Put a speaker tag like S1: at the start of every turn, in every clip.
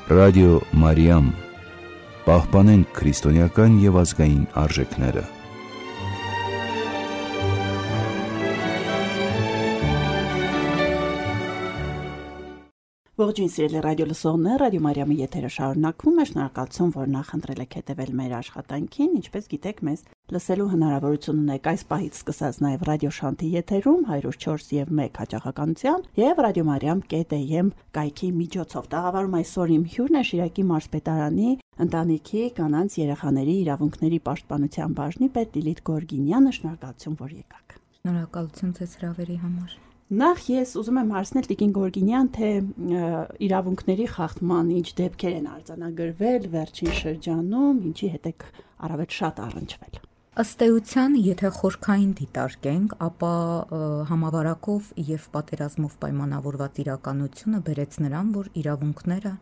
S1: Ռադիո Մարիամ, պահպանենք քրիստոնեական և ազգային արժեքները։
S2: Ողջույն սիրելի ռադիո լսողներ, Ռադիո Մարիամի եթերը շարունակվում է, շնորհակալություն, որ նախընտրել եք հետևել մեր աշխատանքին, ինչպես գիտեք, մեզ լսելու հնարավորություն ունեք այս պահից սկսած նաև ռադիո Շանթի եթերում 104 և 1 հաճախականությամբ և radiomariam.am կայքի միջոցով։ Տաղավարում այսօր իմ հյուրն է Շիրակի մարզպետարանի ընտանիքի, կանանց, երեխաների իրավունքների պաշտպանության բաժնի պետ Լիլիթ Գորգինյանը, շնորհակալություն, որ եկաք։
S3: Շնորհակալություն ձեզ հրավերի համար։
S2: Նախ ես ուզում եմ հարցնել Տիկին Գորգինյան, թե իրավունքների խախտման ինչ դեպքեր են արձանագրվել վերջին շրջանում, ինչի հետ եք առավել շատ առնչվել։
S3: Ըստ էության, եթե խորքային դիտարկենք, ապա համավարակով եւ պատերազմով պայմանավորված իրականությունը բերեց նրան, որ իրավունքները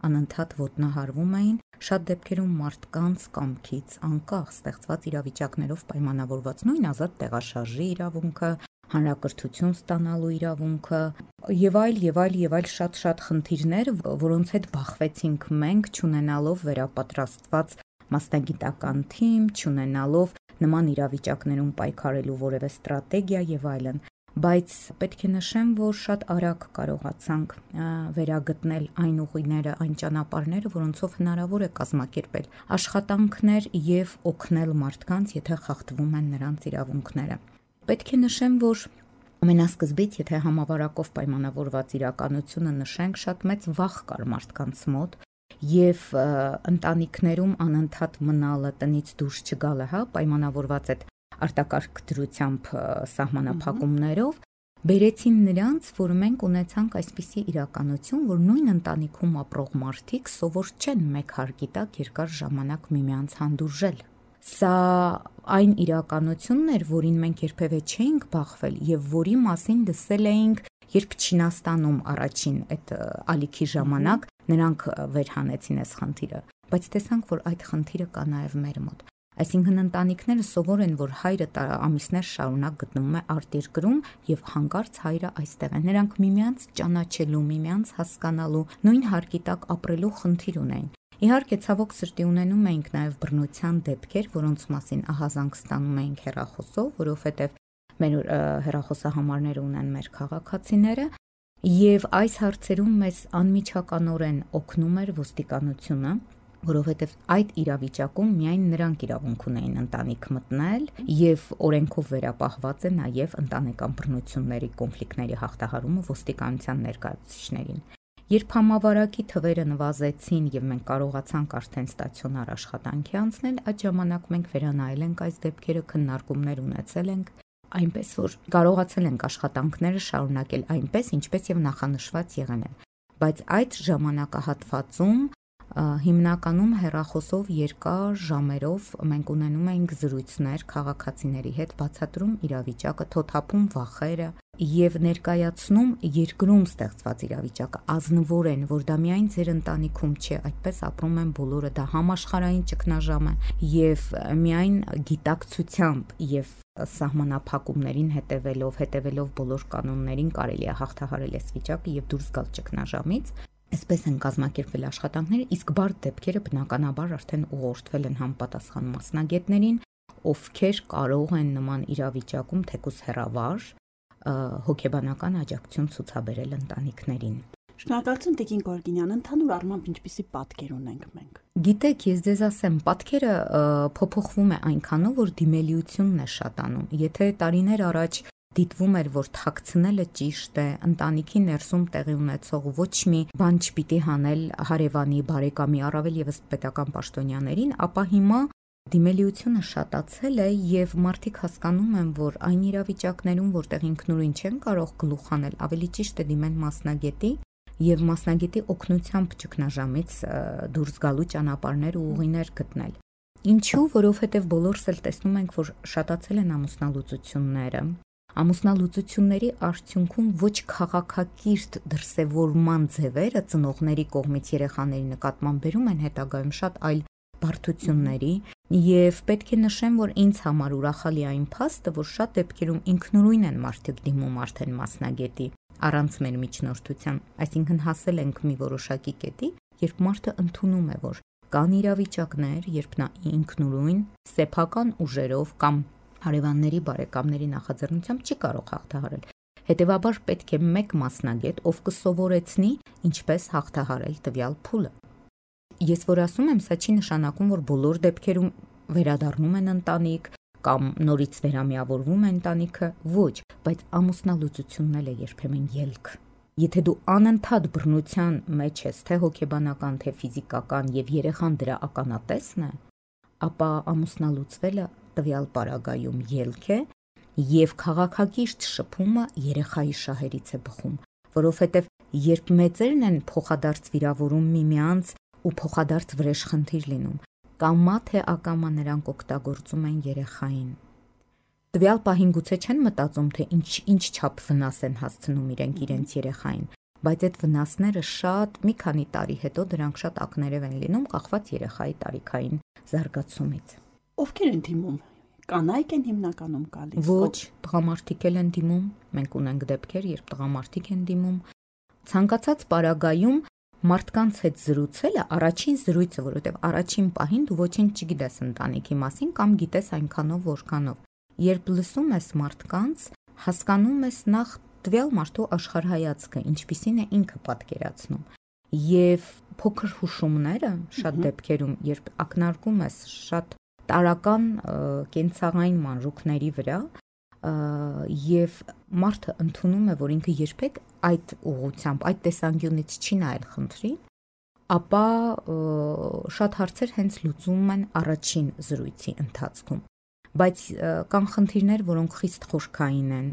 S3: անընդհատ ոտնահարվում էին, շատ դեպքերում մարդկանց կամքից անկախ ստեղծված իրավիճակներով պայմանավորված նույն ազատ տեղաշարժի իրավունքը, հանրակրթություն ստանալու իրավունքը եւ այլ շատ խնդիրներ, որոնց հետ բախվեցինք մենք, չունենալով վերապատրաստված մասնագիտական թիմ, չունենալով նման իրավիճակներում պայքարելու որևէ ստրատեգիա եւ այլն, բայց պետք է նշեմ, որ շատ արագ կարողացանք վերագտնել այն ուղիները, այն ճանապարհները, որոնցով հնարավոր է կազմակերպել աշխատանքներ եւ օգնել մարդկանց, եթե խախտվում են նրանց իրավունքները։ Պետք է նշեմ, որ ամենասկզբից, եթե համավարակով պայմանավորված իրականությունը նշենք, շատ մեծ վախ կար մարդկանց մոտ եւ ընտանիքներում անընդհատ մնալը, տնից դուրս չգալը, պայմանավորված այդ արտակարգ դրությամբ սահմանափակումներով, բերեցին նրանց, որ մենք ունեցանք այսպիսի իրականություն, որ նույն ընտանիքում ապրող մարդիկ սովոր չեն մեկ հարկի տակ երկար ժամանակ միմյանց հանդուրժել։ Սա այն իրականությունն էր, որին մենք երբևէ չէինք բախվել եւ որի մասին լսել էինք, երբ Չինաստանում առաջին այդ ալիքի ժամանակ նրանք վերհանեցին այս խնդիրը, բայց տեսանք, որ այդ խնդիրը կա նաեւ մեր մոտ։ Այսինքն ընտանիքները սովոր են, որ հայրը ամիսներ շարունակ գտնվում է արտերկրում եւ հանկարծ հայրը այստեղ է։ Նրանք միմյանց ճանաչելու, միմյանց հասկանալու, նույն հարկի տակ ապրելու խնդիր ունեն։ Իհարկե, ցավոք սրտի ունենում էինք նաև բռնության դեպքեր, որոնց մասին ահազանգ ստանում էինք հեռախոսով, որովհետև մեր հեռախոսահամարները ունեն մեր քաղաքացիները, եւ այս հարցերում մեզ անմիջականորեն օգնում էր ոստիկանությունը, որովհետև այդ իրավիճակում միայն նրանք իրավունք ունեին ընտանիք մտնել եւ օրենքով վերապահված է նաեւ ընտանեկան բռնությունների, կոնֆլիկտների հաղթահարումը ոստիկանության ներկայացուցիչներին։ Երբ համավարակի թվերը նվազեցին եւ մենք կարողացանք արդեն ստացիոնար աշխատանքի անցնել, այդ ժամանակ մենք վերանայել ենք այս դեպքերը, քննարկումներ ունեցել ենք, այնպես որ կարողացել ենք աշխատանքները շարունակել այնպես, ինչպես եւ նախանշված եղել են։ Բայց այդ ժամանակահատվածում հիմնականում հեռախոսով երկար ժամերով մենք ունենում էինք զրույցներ քաղաքացիների հետ, բացատրում իրավիճակը, թոթափում վախերը եւ ներկայացնում երկրում ստեղծված իրավիճակը ազնվորեն, որ դա միայն ձեր ընտանիքում չէ, այդպես ապրում են բոլորը, դա համաշխարհային ճգնաժամ է եւ միայն գիտակցությամբ եւ սահմանափակումներին հետևելով բոլոր կանոններին կարելի է հաղթահարել այս վիճակը եւ դուրս գալ ճգնաժամից։ Այսպես են կազմակերպվել աշխատանքները, իսկ բարդ դեպքերը բնականաբար արդեն ուղղորդվել են համապատասխան մասնագետներին, ովքեր կարող են նման իրավիճակում թեկուզ հեռավար հոգեբանական աջակցություն ցուցաբերել ընտանիքներին։
S2: Շնորհակալություն Տիկին Գորգինյան, ընդհանուր առմամբ ինչպիսի պատկեր ունենք մենք։
S3: Գիտեք, ես ձեզ ասեմ, պատկերը փոփոխվում է այնքանով, որ դիմելիությունն է շատանում։ Եթե տարիներ առաջ դիտվում էր, որ թաքցնելը ճիշտ է, ընտանիքի ներսում տեղի ունեցող ոչ մի բան չպիտի հանել հարևանի, բարեկամի, առավել եւս պետական պաշտոնյաներին, ապա հիմա դիմելիությունը շատացել է եւ մարդիկ հասկանում են, որ այն իրավիճակներում, որտեղ ինքնուրույն չեն կարող գլուխ հանել, ավելի ճիշտ է դիմել մասնագետի եւ մասնագետի օգնությամբ ճգնաժամից դուրս գալու ճանապարհներ ու ուղիներ գտնել։ Ինչու? Որովհետեւ բոլորս էլ տեսնում ենք, որ շատացել են ամուսնալուծությունները։ Ամուսնալուծությունների արդյունքում ոչ քաղաքակիրթ դրսևորման ձևերը ծնողների կողմից երեխաների նկատմամբ բերում են հետագայում շատ այլ բարդությունների եւ պետք է նշեմ, որ ինձ համար ուրախալի այն փաստը, որ շատ դեպքերում ինքնուրույն են մարդիկ դիմում արդեն մասնագետի առանց մեր միջնորդության, այսինքն հասել ենք մի որոշակի կետի, երբ մարդը ընդունում է, որ կան իրավիճակներ, երբ նա ինքնուրույն սեփական ուժերով կամ հարևանների, բարեկամների նախաձեռնությամբ չի կարող հաղթահարել։ Հետևաբար պետք է մեկ մասնագետ, ով կսովորեցնի ինչպես հաղթահարել տվյալ փուլը։ Ես որ ասում եմ, սա չի նշանակում, որ բոլոր դեպքերում վերադառնում են ընտանիք կամ նորից վերամիավորվում է ընտանիքը, ոչ, բայց ամուսնալուծությունն էլ է երբեմն ելք։ Եթե դու անընդհատ բռնության մեջ ես, թե հոգեբանական, թե ֆիզիկական եւ երեխան դրա ականատեսն է, ապա ամուսնալուծվելը տվյալ պարագայում ելք է եւ քաղաքակիրթ շփումը երեխայի շահերից է բխում, որովհետեւ երբ մեծերն են փոխադարձ վիրավորում միմյանց ու փոխադարձ վրեժխնդիր լինում, կամա թե ակամա նրանք օգտագործում են երեխային։ Տվյալ պահին գուցե չեն մտածում, թե ինչ չափ վնաս են հասցնում իրենց երեխային, բայց այդ վնասները շատ մի քանի տարի հետո դրանք շատ ակներև են լինում, կախված երեխայի տարիքային զարգացումից։
S2: Ովքեր են դիմում։ Կանայք են հիմնականում գալիս։
S3: Ոչ, տղամարդիկ են դիմում, մենք ունենք դեպքեր, երբ տղամարդիկ են դիմում։ Ցանկացած պարագայում մարդկանց հետ զրուցելը առաջին զրույցը, որովհետև առաջին պահին դու ոչինչ չգիտես ընտանիքի մասին կամ գիտես այնքանով, որքանով։ Երբ լսում ես մարդկանց, հասկանում ես նախ տվյալ մարդու աշխարհայացքը, ինչպիսին է ինքը պատկերացնում։ Եվ փոքր հուշումները շատ դեպքերում, երբ ակնարկում ես շատ տարական կենցաղային մանրուքների վրա, եւ մարդը ընդունում է, որ ինքը երբեք այդ ուղղությամբ, այդ տեսանկյունից չի նայել խնդրին, ապա շատ հարցեր հենց լուծում են առաջին զրույցի ընթացքում։ Բայց կան խնդիրներ, որոնք խիստ խորքային են,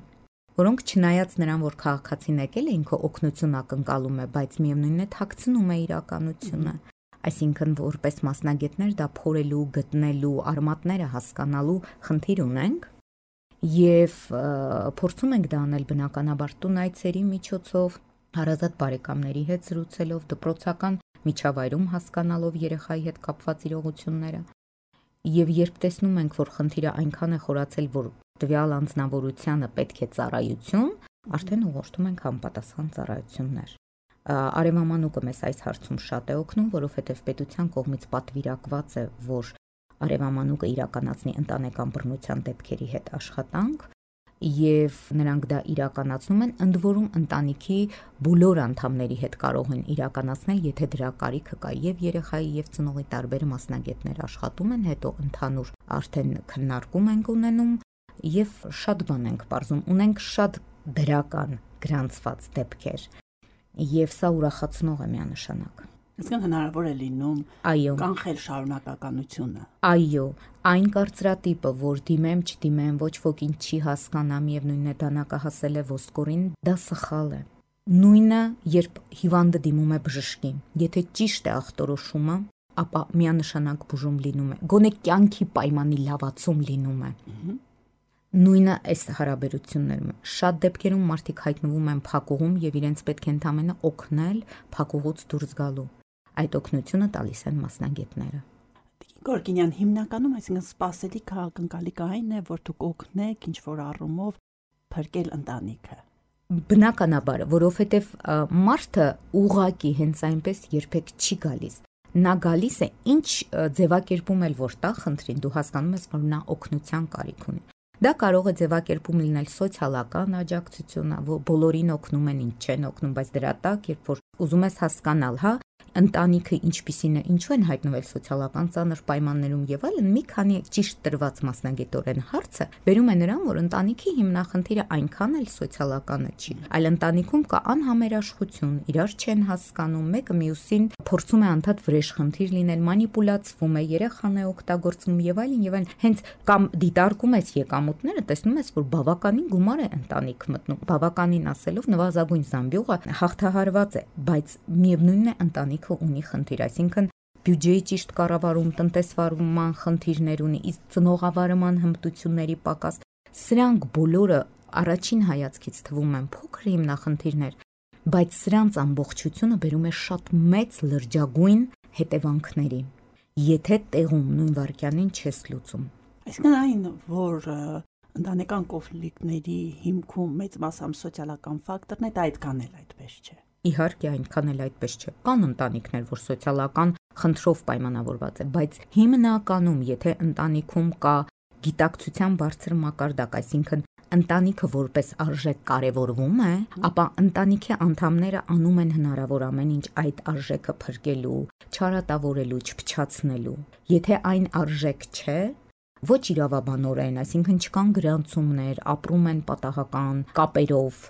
S3: որոնք չնայած նրան, որ քաղաքացին եկել է, ինքը օգնություն ակնկալում է, բայց միևնույնն է թաքցնում է իրականությունը։ Այսինքն որպես մասնագետներ դա փորելու, գտնելու, արմատները հասկանալու խնդիր ունենք եւ փորձում ենք դա անել բնականաբար տունայցերի միջոցով, հարազատ բարեկամների հետ զրուցելով, դպրոցական միջավայրում հասկանալով երեխայի հետ կապված իրողությունները։ Եվ երբ տեսնում ենք, որ խնդիրը այնքան է խորացել, որ տվյալ անձնավորությանը պետք է ծառայություն, արդեն ուղղորդում ենք համապատասխան ծառայություններ։ Արևամանուկը մեզ այս հարցում շատ է օգնում, որովհետև պետության կողմից պատվիրակված է, որ արևամանուկը իրականացնի ընտանեկան բռնության դեպքերի հետ աշխատանք, եւ նրանք դա իրականացնում են, ընդ որում ընտանիքի բոլոր անդամների հետ կարող են իրականացնել, եթե դրա կարիքը կա, եւ երեխայի եւ ծնողի տարբեր մասնագետներ աշխատում են, հետո ընդհանուր արդեն քննարկում ենք ունենում եւ շատ բան ենք բարձում, ունենք շատ դրական գրանցված դեպքեր եւ սա ուրախացնող է միանշանակ։
S2: Այսինքն հնարավոր է լինում կանխել շարունակականությունը։
S3: Այո, այն կարծրատիպը, որ դիմեմ, չդիմեմ, ոչ ոք ինչ չի հասկանա, միևնույնն է դանակահասել է ոսկորին, դա սխալ է։ Նույնը, երբ հիվանդը դիմում է բժշկին, եթե ճիշտ է ախտորոշումը, ապա միանշանակ բուժում լինում է, գոնե կյանքի պայմանի լավացում լինում է։ Նույնը այս հարաբերություններում շատ դեպքերում մարդիկ հայտնվում են փակուղում եւ իրենց պետք է ընդամենը օգնել փակուղուց դուրս գալու։ Այդ օգնությունը տալիս են մասնագետները։
S2: Գորգինյան, հիմնականում այսինքն սպասելիք ակնկալիք այն է, որ դուք օգնեք ինչ որ առումով փրկել ընտանիքը։
S3: Բնականաբար, որովհետեւ մարդը ուղակի հենց այնպես երբեք չի գալիս։ Նա գալիս է ինչ ձևակերպում էլ որ տա խնդրին, դու հասկանում ես, որ նա օգնության կարիք ունի։ Դա կարող է ձևակերպում լինել սոցիալական աջակցությունը, որ բոլորին օգնում են, ինչ չեն օգնում, բայց դրա տակ, երբ որ ուզում ես հասկանալ, հա, ընտանիքը ինչպիսին է, ինչու են հայտնվել սոցիալական ծանր պայմաններում եւ այլն, մի քանի ճիշտ տրված մասնագետորեն հարցը բերում է նրան, որ ընտանիքի հիմնախնդիրը այնքան էլ սոցիալականը չի, այլ ընտանիքում կա անհամերաշխություն, իրար չեն հասկանում, մեկը մյուսին փորձում է անդադ վրեժխնդիր լինել, մանիպուլացվում է, երեխան է օգտագործվում եւ այլն, հենց կամ դիտարկում ես եկամուտները, տեսնում ես, որ բավականին գումար է ընտանիք մտնում, բավականին ասելով նվազագույն զամբյուղը հաղթահարված է, բայց միևնույնն է ընտանիքը ունի խնդիր, այսինքն բյուջեի ճիշտ կառավարում, տնտեսվարման խնդիրներ ունի, իսկ ծնողավարման հմտությունների պակաս, սրանք բոլորը առաջին հայացքից թվում են փոքր հիմնախնդիրներ, բայց սրանց ամբողջությունը բերում է շատ մեծ լրջագույն հետևանքների, եթե տեղում նույն վայրկյանին չես լուծում։
S2: Այսինքն այն, որ ընտանեկան կոնֆլիկտների հիմքում մեծ մասամբ սոցիալական ֆակտորն է, դա այդքան էլ այդպես չէ։
S3: Իհարկե այնքան էլ այդպես չէ։ Կան ընտանիքներ, որ սոցիալական խնդրով պայմանավորված է, բայց հիմնականում, եթե ընտանիքում կա գիտակցության բարձր մակարդակ, այսինքն ընտանիքը որպես արժեք կարևորվում է, ապա ընտանիքի անդամները անում են հնարավոր ամեն ինչ այդ արժեքը փրկելու, չարատավորելու, չփչացնելու։ Եթե այն արժեք չէ, ոչ իրավաբանորեն, այսինքն չկան գրանցումներ, ապրում են պատահական կապերով,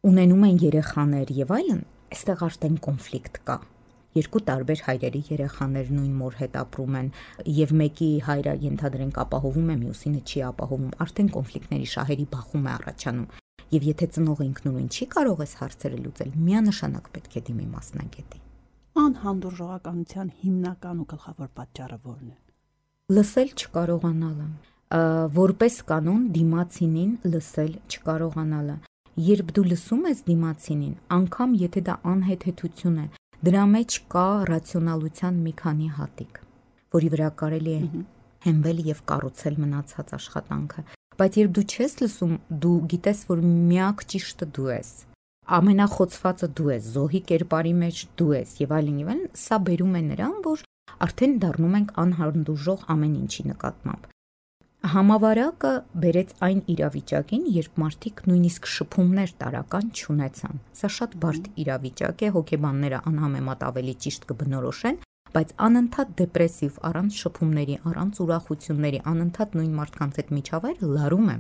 S3: ունենում են երեխաներ եւ այլն, այստեղ արդեն կոնֆլիկտ կա։ Երկու տարբեր հայրերի երեխաներ նույն մոր հետ ապրում են եւ մեկի հայրը ենթադրենք ապահովում է, մյուսինը չի ապահովում, արդեն կոնֆլիկտների շահերի բախում է առաջանում։ Եվ եթե ծնողը ինքնուրույն չի կարող այս հարցերը լուծել, միանշանակ պետք է դիմի մասնագետի։
S2: Անհանդուրժողականության հիմնական ու գլխավոր պատճառը ո՞րն է։
S3: Լսել չկարողանալը, որպես կանոն դիմացինին լսել չկարողանալը։ Երբ դու լսում ես դիմացինին, անգամ եթե դա անհեթեթություն է, դրա մեջ կա ռացիոնալության մի քանի հատիկ, որի վրա կարելի է հենվել եւ կառուցել մնացած աշխատանքը, բայց երբ դու չես լսում, դու գիտես, որ միակ ճիշտը դու ես, ամենախոցվածը դու ես, զոհի կերպարի մեջ դու ես եւ այլն, սա բերում է նրան, որ արդեն դառնում ենք անհանդուրժող ամեն ինչի նկատմամբ։ Համավարակը բերեց այն իրավիճակին, երբ մարդիկ նույնիսկ շփումներ տարական չունեցան։ Սա շատ բարդ իրավիճակ է, հոգեբանները անհամեմատ ավելի ճիշտ կբնորոշեն, բայց անընդհատ դեպրեսիվ, առանց շփումների, առանց ուրախությունների, անընդհատ նույն մարդկանց հետ միջավայրը լարում է։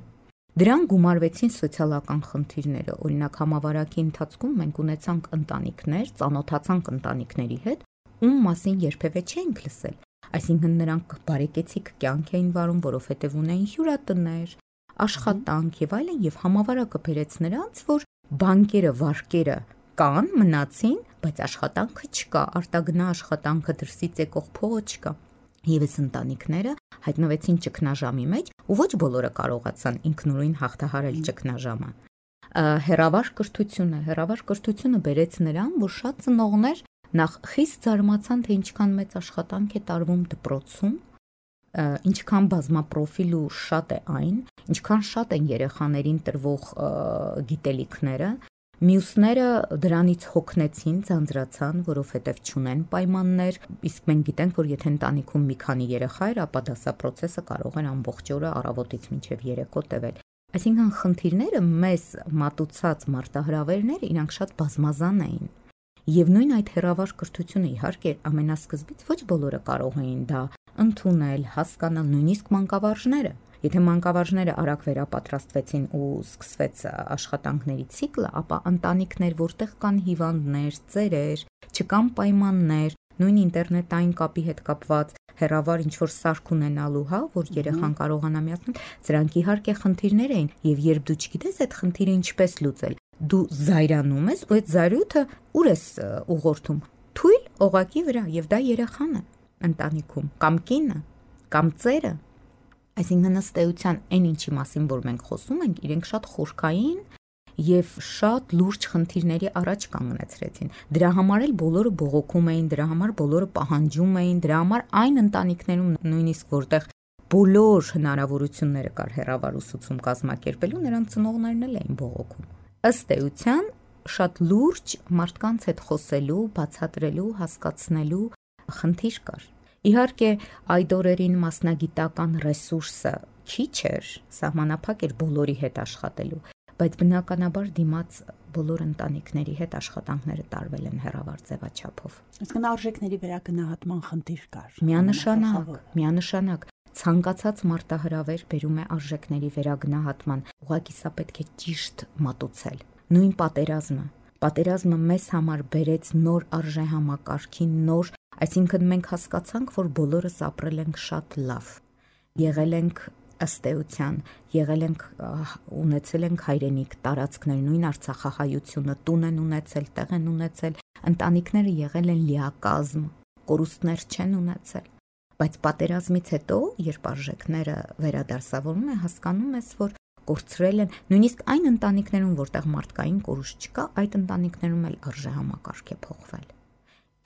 S3: Դրան գումարվեցին սոցիալական խնդիրները, օրինակ համավարակի ընթացքում մենք ունեցանք ընտանիքներ, ծանոթացանք ընտանիքների հետ, ում մասին երբևէ չենք լսել։ Այսինքն նրանք բարեկեցիկ կյանք էին վարում, որովհետև ունեին հյուրատներ, աշխատանք եւ այլն, եւ համավարակը բերեց նրանց, որ բանկերը, վարկերը կան, մնացին, բայց աշխատանքը չկա, արտագնա աշխատանքը, դրսից եկող փողը չկա։ Եվ այս ընտանիքները հայտնվեցին ճգնաժամի մեջ, ու ոչ բոլորը կարողացան ինքնուրույն հաղթահարել ճգնաժամը։ Հերավար կրթությունը բերեց նրան, որ շատ ծնողներ նախ խիստ զարմացան, թե ինչքան մեծ աշխատանք է տարվում դպրոցում, ինչքան բազմապրոֆիլ ու շատ է այն, ինչքան շատ են երեխաներին տրվող գիտելիքները, մյուսները դրանից հոգնեցին, ձանձրացան, որովհետև չունեն պայմաններ, իսկ մենք գիտենք, որ եթե ընտանիքում մի քանի երեխա էր, ապա դասապրոցեսը կարող էր ամբողջ օրը առավոտից մինչև երեկո տևել։ Այսինքն խնդիրները մեզ մատուցած մարտահրավերները իրանք շատ բազմազան էին։ Եվ նույն այդ հերավար կրթությունը իհարկե ամենասկզբից ոչ բոլորը կարող էին դա ընդունել, հասկանալ, նույնիսկ մանկավարժները։ Եթե մանկավարժները արագ վերապատրաստվեցին ու սկսվեց աշխատանքների ցիկլը, ապա ընտանիքներ, որտեղ կան հիվանդներ, ծերեր, չկան պայմաններ, նույն ինտերնետային կապի հետ կապված հերավար ինչ-որ սարք ունենալու, որ երեխան կարողանա միացնել, սրանք իհարկե խնդիրներ էին, եւ երբ դու չգիտես այդ խնդիրը ինչպես լուծել, դու զայրանում ես, ու այդ զայրույթը ուր ես ուղղորդում։ Թույլ օղակի վրա, եւ դա երեխան է ընտանիքում, կամ կինը, կամ ծերը։ Այսինքն ըստ էության այն ինչի մասին, որ մենք խոսում ենք, իրենք շատ խորքային եւ շատ լուրջ խնդիրների առաջ կանգնեցրեցին։ Դրա համար էլ բոլորը բողոքում էին, դրա համար բոլորը պահանջում էին, դրա համար այն ընտանիքներում նույնիսկ որտեղ բոլոր հնարավորությունները կար հեռավար ուսուցում կազմակերպելու, նրանց ծնողներն էլ էին բողոքում։ Ըստ էության շատ լուրջ մարդկանց հետ խոսելու, բացատրելու, հասկացնելու խնդիր կար։ Իհարկե այդ օրերին մասնագիտական ռեսուրսը քիչ էր, սահմանափակ էր բոլորի հետ աշխատելու, բայց բնականաբար դիմաց բոլոր ընտանիքների հետ աշխատանքները տարվել են հեռավար ձևաչափով։
S2: Այսինքն արժեքների վերագնահատման խնդիր կար։
S3: Միանշանակ ցանկացած մարտահրավեր բերում է արժեքների վերագնահատման, ուղղակի սա պետք է ճիշտ մատուցել։ Նույն պատերազմը մեզ համար բերեց նոր արժեհամակարգին, նոր, այսինքն մենք հասկացանք, որ բոլորս ապրել ենք շատ լավ, եղել ենք ըստ էության, ունեցել ենք հայրենիք, տարածքներ, նույն Արցախահայությունը, տուն են ունեցել, տեղ են ունեցել, ընտանիքները եղել են լիակազմ, կորուստներ չեն ունեցել, բայց պատերազմից հետո, երբ արժեքները վերադասավորում են, հասկանում ես, որ կորցրել են, նույնիսկ այն ընտանիքներում, որտեղ մարդկային կորուստ չկա, այդ ընտանիքներում էլ արժեհամակարգ է փոխվել։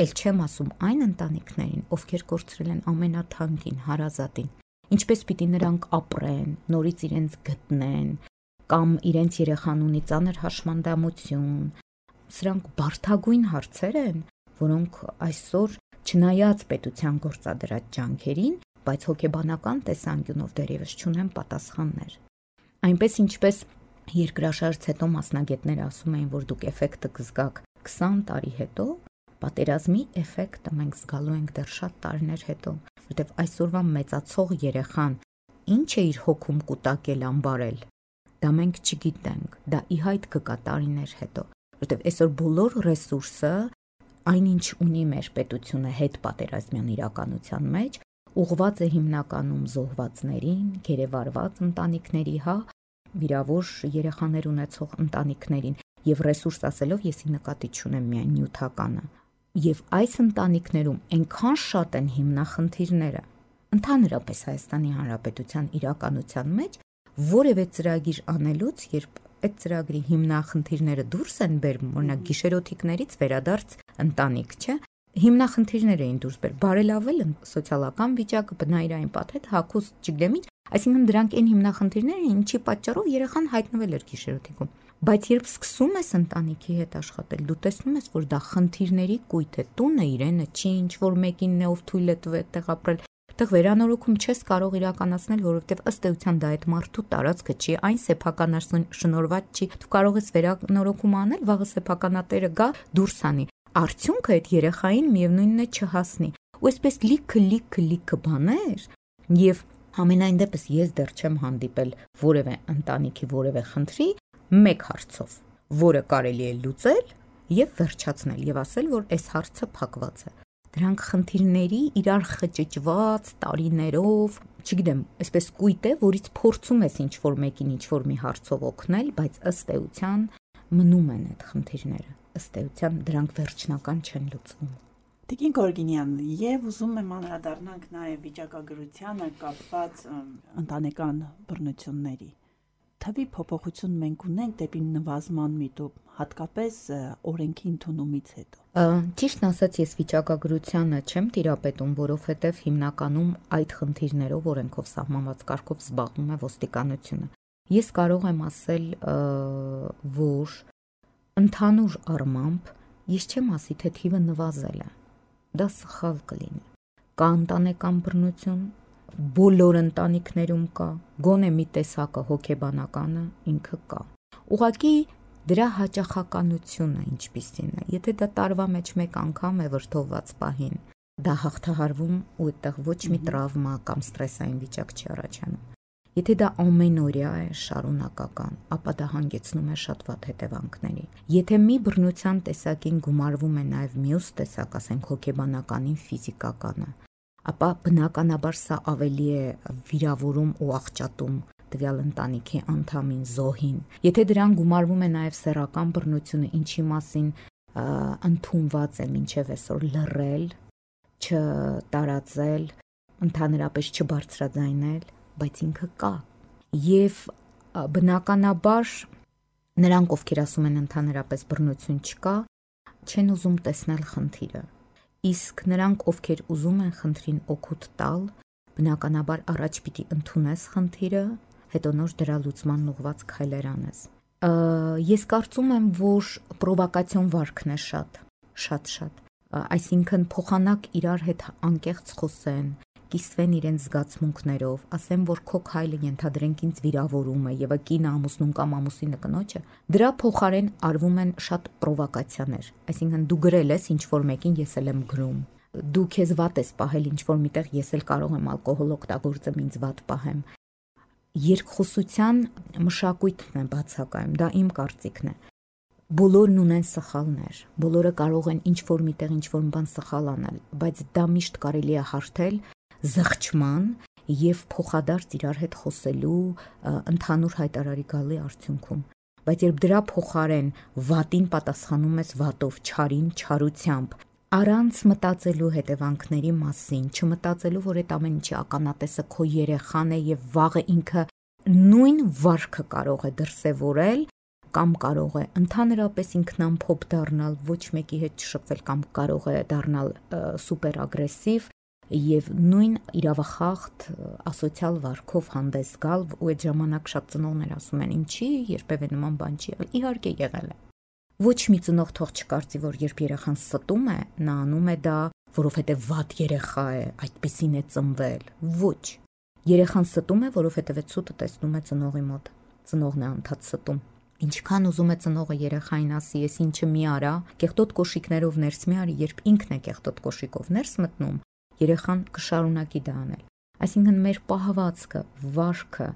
S3: Էլ չեմ ասում այն ընտանիքներին, ովքեր կորցրել են ամենաթանկին, հարազատին, ինչպես պիտի նրանք ապրեն, նորից իրենց գտնեն, կամ իրենց երեխան ունի ծանր հաշմանդամություն, սրանք բարդագույն հարցեր են, որոնք այսօր չնայած պետության գործադրած ջանքերին, բայց հոգեբանական տեսանկյունով դեռևս չունեն պատասխաններ։ Այնպես ինչպես երկրաշարժից հետո մասնագետները ասում էին, որ դուք էֆեկտը կզգաք 20 տարի հետո, պատերազմի էֆեկտը մենք զգալու ենք դեռ շատ տարիներ հետո, որտեղ այսօրվա մեծացող երեխան ինչ է իր հոգում կուտակել ամբարել, դա մենք չգիտենք, դա ի հայտ կգա տարիներ հետո, որտեղ այսօր բոլոր ռեսուրսը, այնինչ ունի մեր պետությունը հետ պատերազմյան իրականության մեջ, ուղղված է հիմնականում զոհվածներին, գերեվարված ընտանիքների, վիրավոր երեխաներ ունեցող ընտանիքներին, եւ ռեսուրս ասելով եսի նկատի չունեմ միայն նյութականը։ Եվ այս ընտանիքներում այնքան շատ են հիմնախնդիրները, ընդհանրապես Հայաստանի Հանրապետության իրականության մեջ որևէ ծրագիր անելուց, երբ այդ ծրագրի հիմնախնդիրները դուրս են բերվում, օրինակ գիշերօթիկներից վերադարձ ընտանիք, չէ՞, հիմնախնդիրներ էին դուրս բերել, բարելավել սոցիալական վիճակը, բնայրային պատեհ, հագուստ, չգիտեմ ինչ, այսինքն դրանք այն հիմնախնդիրներ են, ինչի պատճառով երեխան հայտնվել էր գիշերօթիկում։ Բայց երբ սկսում ես ընտանիքի հետ աշխատել, դու տեսնում ես, որ դա խնդիրների կույտ է, տունը իրենը չի, ինչ որ մեկինն է, ով թույլ է տվել այդտեղ ապրել, այդտեղ վերանորոգում չես կարող իրականացնել, որովհետև ըստ էության դա այդ մարդու տարածքը չի, այն սեփականաշնորհված չի, դու կարող ես վերանորոգում անել, վաղը սեփականատերը գա դուրս անի, արդյունքը այդ երեխային միևնույնն է չհասնի, ու այսպես լիքը բաներ, եւ ամենայն դեպս ես դեռ չեմ հանդիպել որևէ ընտանիքի որևէ խնդրի մեկ հարցով, որը կարելի է լուծել եւ վերջացնել եւ ասել, որ այս հարցը փակված է։ Դրանք խնդիրների իրար խճճված տարիներով, չգիտեմ, այսպես կույտ է, որից փորձում ես ինչ որ մեկին ինչ որ մի հարցով օգնել, բայց ըստ էության մնում են այդ խնդիրները։ Ըստ էության դրանք վերջնական չեն լուծվում։
S2: Տիկին Գորգինյան, եւ ուզում եմ անդրադառնանք նաեւ վիճակագրությանը կապված ընտանեկան բռնությունների։ Թվի փոփոխություն մենք ունենք դեպի նվազման միտում, հատկապես օրենքի ընդունումից հետո։
S3: Ճիշտն ասած, ես վիճակագրությանը չեմ տիրապետում, որովհետև հիմնականում այդ խնդիրներով օրենքով սահմանված կարգով զբաղվում է ոստիկանությունը։ Ես կարող եմ ասել, որ ընդհանուր առմամբ ես չեմ ասի, թե թիվը նվազել է։ Դա սխալ կլինի։ Կա ընտանեկան բռնություն, բոլոր ընտանիքներում կա, գոնե մի տեսակը հոգեբանականը ինքը կա։ Ուղղակի դրա հաճախականությունը ինչպիսին է, եթե դա տարվա մեջ մեկ անգամ է վրդովված պահին, դա հաղթահարվում ու այդտեղ ոչ մի տրավմա կամ ստրեսային վիճակ չի առաջանում։ Եթե դա ամենօրյա է, շարունակական, ապա դա հանգեցնում է շատ վատ հետևանքների։ Եթե մի բռնության տեսակին գումարվում է նաև մյուս տեսակ, ասենք հոգեբանականին, ֆիզիկականը, ապա բնականաբար սա ավելի է վիրավորում ու աղճատում տվյալ ընտանիքի անդամին, զոհին։ Եթե դրան գումարվում է նաև սեռական բռնությունը, ինչի մասին ընդունված է մինչև այսօր լռել, չտարածել, ընդհանրապես չբարձրաձայնել, բայց ինքը կա։ Եվ բնականաբար նրանք, ովքեր ասում են ընդհանրապես բռնություն չկա, չեն ուզում տեսնել խնդիրը։ Իսկ նրանք, ովքեր ուզում են խնդրին օգուտ տալ, բնականաբար առաջ պիտի ընդունես խնդիրը, հետո նոր դրա լուծման ուղղված քայլեր անես։ Ես կարծում եմ, որ պրովոկացիոն վարքն է շատ, այսինքն փոխանակ իրար հետ անկեղծ խոսեն, կիսվեն իրենց զգացմունքներով, ասեն, որ քո քայլը ենթադրենք ինձ վիրավորում է եւ կինը ամուսնուն կամ ամուսինը կնոջը, դրա փոխարեն արվում են շատ պրովոկացիաներ, այսինքն դու գրել ես ինչ որ մեկին, ես էլ եմ գրում, դու քեզ վատ ես պահել ինչ որ միտեղ, ես էլ կարող եմ ալկոհոլ օգտագործեմ, ինձ վատ պահեմ։ Երկխոսության մշակույթն է բացակայում, դա իմ կարծիքն է։ Բոլորն ունեն սխալներ, բոլորը կարող են ինչ որ միտեղ ինչ որ բան սխալ անել, բայց դա միշտ կարելի է հարթել զղջման եւ փոխադարձ իրար հետ խոսելու ընդհանուր հայտարարի գալի արդյունքում։ Բայց երբ դրա փոխարեն վատին պատասխանում ես վատով, չարին չարությամբ, առանց մտածելու հետևանքների մասին, չմտածելու, որ այդ ամեն ինչի ականատեսը քո երեխան է եւ վաղը ինքը նույն վարքը կարող է դրսևորել, կամ կարող է ընդհանրապես ինքնամփոփ դառնալ, ոչ մեկի հետ չշփվել, կամ կարող է դառնալ սուպեր ագրեսիվ եւ նույն իրավախախտ ասոցիալ վարքով հանդես գալ, ու այդ ժամանակ շատ ծնողներ ասում են, ինչի երբևէ նման բան չի եղել, իհարկե եղել է։ Ոչ մի ծնող թող չկարծի, որ երբ երեխան ստում է, նա անում է դա, որովհետև վատ երեխա է, այդպեսին է ծնվել։ Ոչ։ Երեխան ստում է, որովհետև այդ սուտը տեսնում է ծնողի մոտ։ Ծնողն է անդադ ստում։ Ինչքան ուզում է ծնողը երեխային ասի, ես ինչը մի արա, կեղտոտ կոշիկներով ներս մի արի, երբ ինքն է կեղտոտ կոշիկով ներս մտնում, երեխան կշարունակի դա անել։ Այսինքն մեր պահվածքը, վարքը,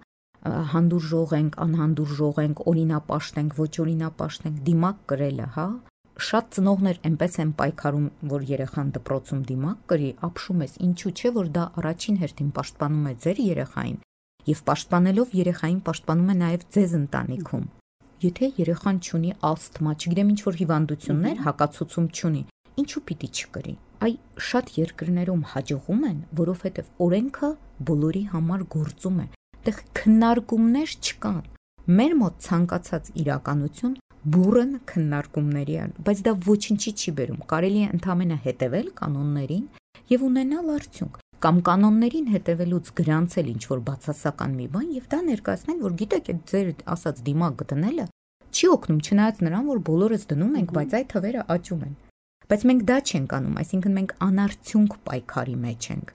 S3: հանդուրժող ենք, անհանդուրժող ենք, օրինապաշտ ենք, ոչ օրինապաշտ ենք, դիմակ կրելը, հա։ Շատ ծնողներ այնպես են պայքարում, որ երեխան դպրոցում դիմակ կրի, ապշում ես, ինչու՞ չէ, որ դա առաջին հերթին պաշտպանում է ձեր երեխային, եւ պաշտպանելով երեխային պաշտպանում է նաեւ ձեզ ընտանիքում։ Եթե երեխան չունի ասթմա, չգիտեմ ինչ որ հիվանդություններ, հակացուցում չունի, ինչու պիտի չկրի։ Այ շատ երկրներում հաջողում են, որովհետեւ օրենքը բոլորի համար գործում է։ Այդտեղ քննարկումներ չկան։ Մեր մոտ ցանկացած իրականություն բուրըն քննարկումների է, բայց դա ոչինչի չի բերում։ Կարելի է ընդհանրապես հետևել կանոններին եւ ունենալ արդյունք, կամ կանոններին հետևելուց գրանցել ինչ որ բացասական մի բան եւ դա ներկայացնել, որ գիտեք, այդ ձեր ասած դիմակ դնելը չի օգնում, չնայած նրան, որ բոլորս դնում ենք, բայց այդ թվերը աճում են։ Բայց մենք դա չենք անում, այսինքն մենք անարդյունք պայքարի մեջ ենք։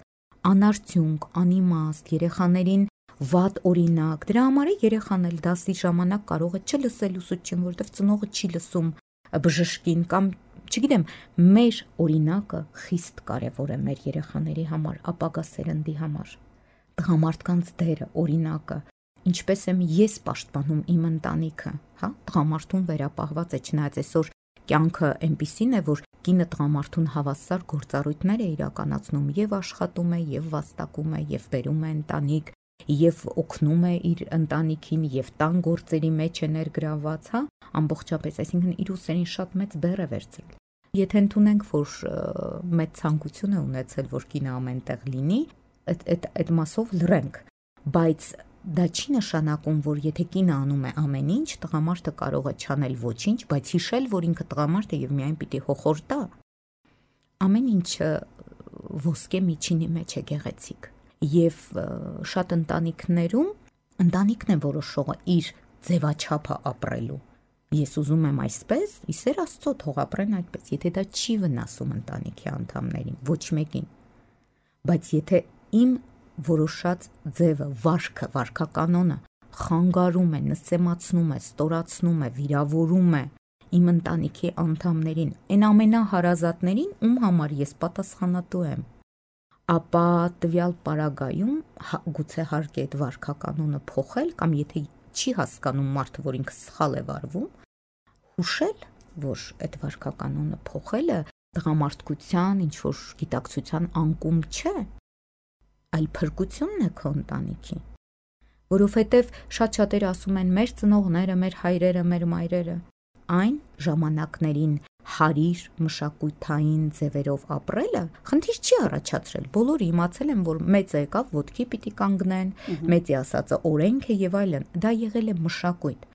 S3: Անարդյունք, անիմաստ, երեխաներին վատ օրինակ, դրա համար է երեխան էլ դասի ժամանակ կարող է չլսել ուսուցչին, որովհետև ծնողը չի լսում բժշկին կամ չգիտեմ, մեր օրինակը խիստ կարևոր է մեր երեխաների համար, ապագա սերնդի համար։ Տղամարդկանց դերը, օրինակը, ինչպես եմ ես պաշտպանում իմ ընտանիքը, հա, տղամարդուն վերապահված է, չնայած այսօր կյանքը այնպիսին է, որ կինը տղամարդուն հավասար գործառույթներ է իրականացնում եւ աշխատում է, եւ վաստակում է, եւ բերում է ընտանիք, եւ օգնում է իր ընտանիքին եւ տան գործերի մեջ է ներգրավված, հա, ամբողջապես, այսինքն իր ուսերին շատ մեծ բեռ է վերցրել։ Եթե ընդունենք, որ մեծ ցանկություն է ունեցել, որ կինը ամենտեղ լինի, այդ մասով լռենք, բայց դա չի նշանակում, որ եթե կինը անում է ամեն ինչ, տղամարդը կարող է չանել ոչինչ, բայց հիշել, որ ինքը տղամարդ է եւ միայն պիտի հոխոր տա։ Ամեն ինչը ոսկե միջինի մեջ է գեղեցիկ։ Եվ շատ ընտանիքներում ընտանիքն է որոշողը իր ձևաչափը ապրելու։ Ես ուզում եմ այսպես, իսեր Աստծո թող ապրեն այդպես, եթե դա չի վնասում ընտանիքի անդամներին, ոչ մեկին։ Բայց եթե իմ որոշած ձևը, վարքը, վարքականոնը խանգարում է, նսեմացնում է, ստորացնում է, վիրավորում է իմ ընտանիքի անդամներին, այն ամենահարազատներին, ում համար ես պատասխանատու եմ, ապա տվյալ պարագայում գուցե հարկ է այդ վարքականոնը փոխել, կամ եթե չի հասկանում մարդը, որ ինքը սխալ է վարվում, հուշել, որ այդ վարքականոնը փոխելը տղամարդկության, ինչ որ գիտակցության անկում չէ, այլ փրկությունն է քո ընտանիքի, որովհետև շատ շատերը ասում են մեր ծնողները, մեր հայրերը, մեր մայրերը, այն ժամանակներին հարիր մշակութային ձևերով ապրելը խնդիր չի առաջացրել, բոլորը իմացել են, որ մեծը եկավ, ոտքի պիտի կանգնեն, մեծի ասածը օրենք է եւ այլն, դա եղել է մշակույթ։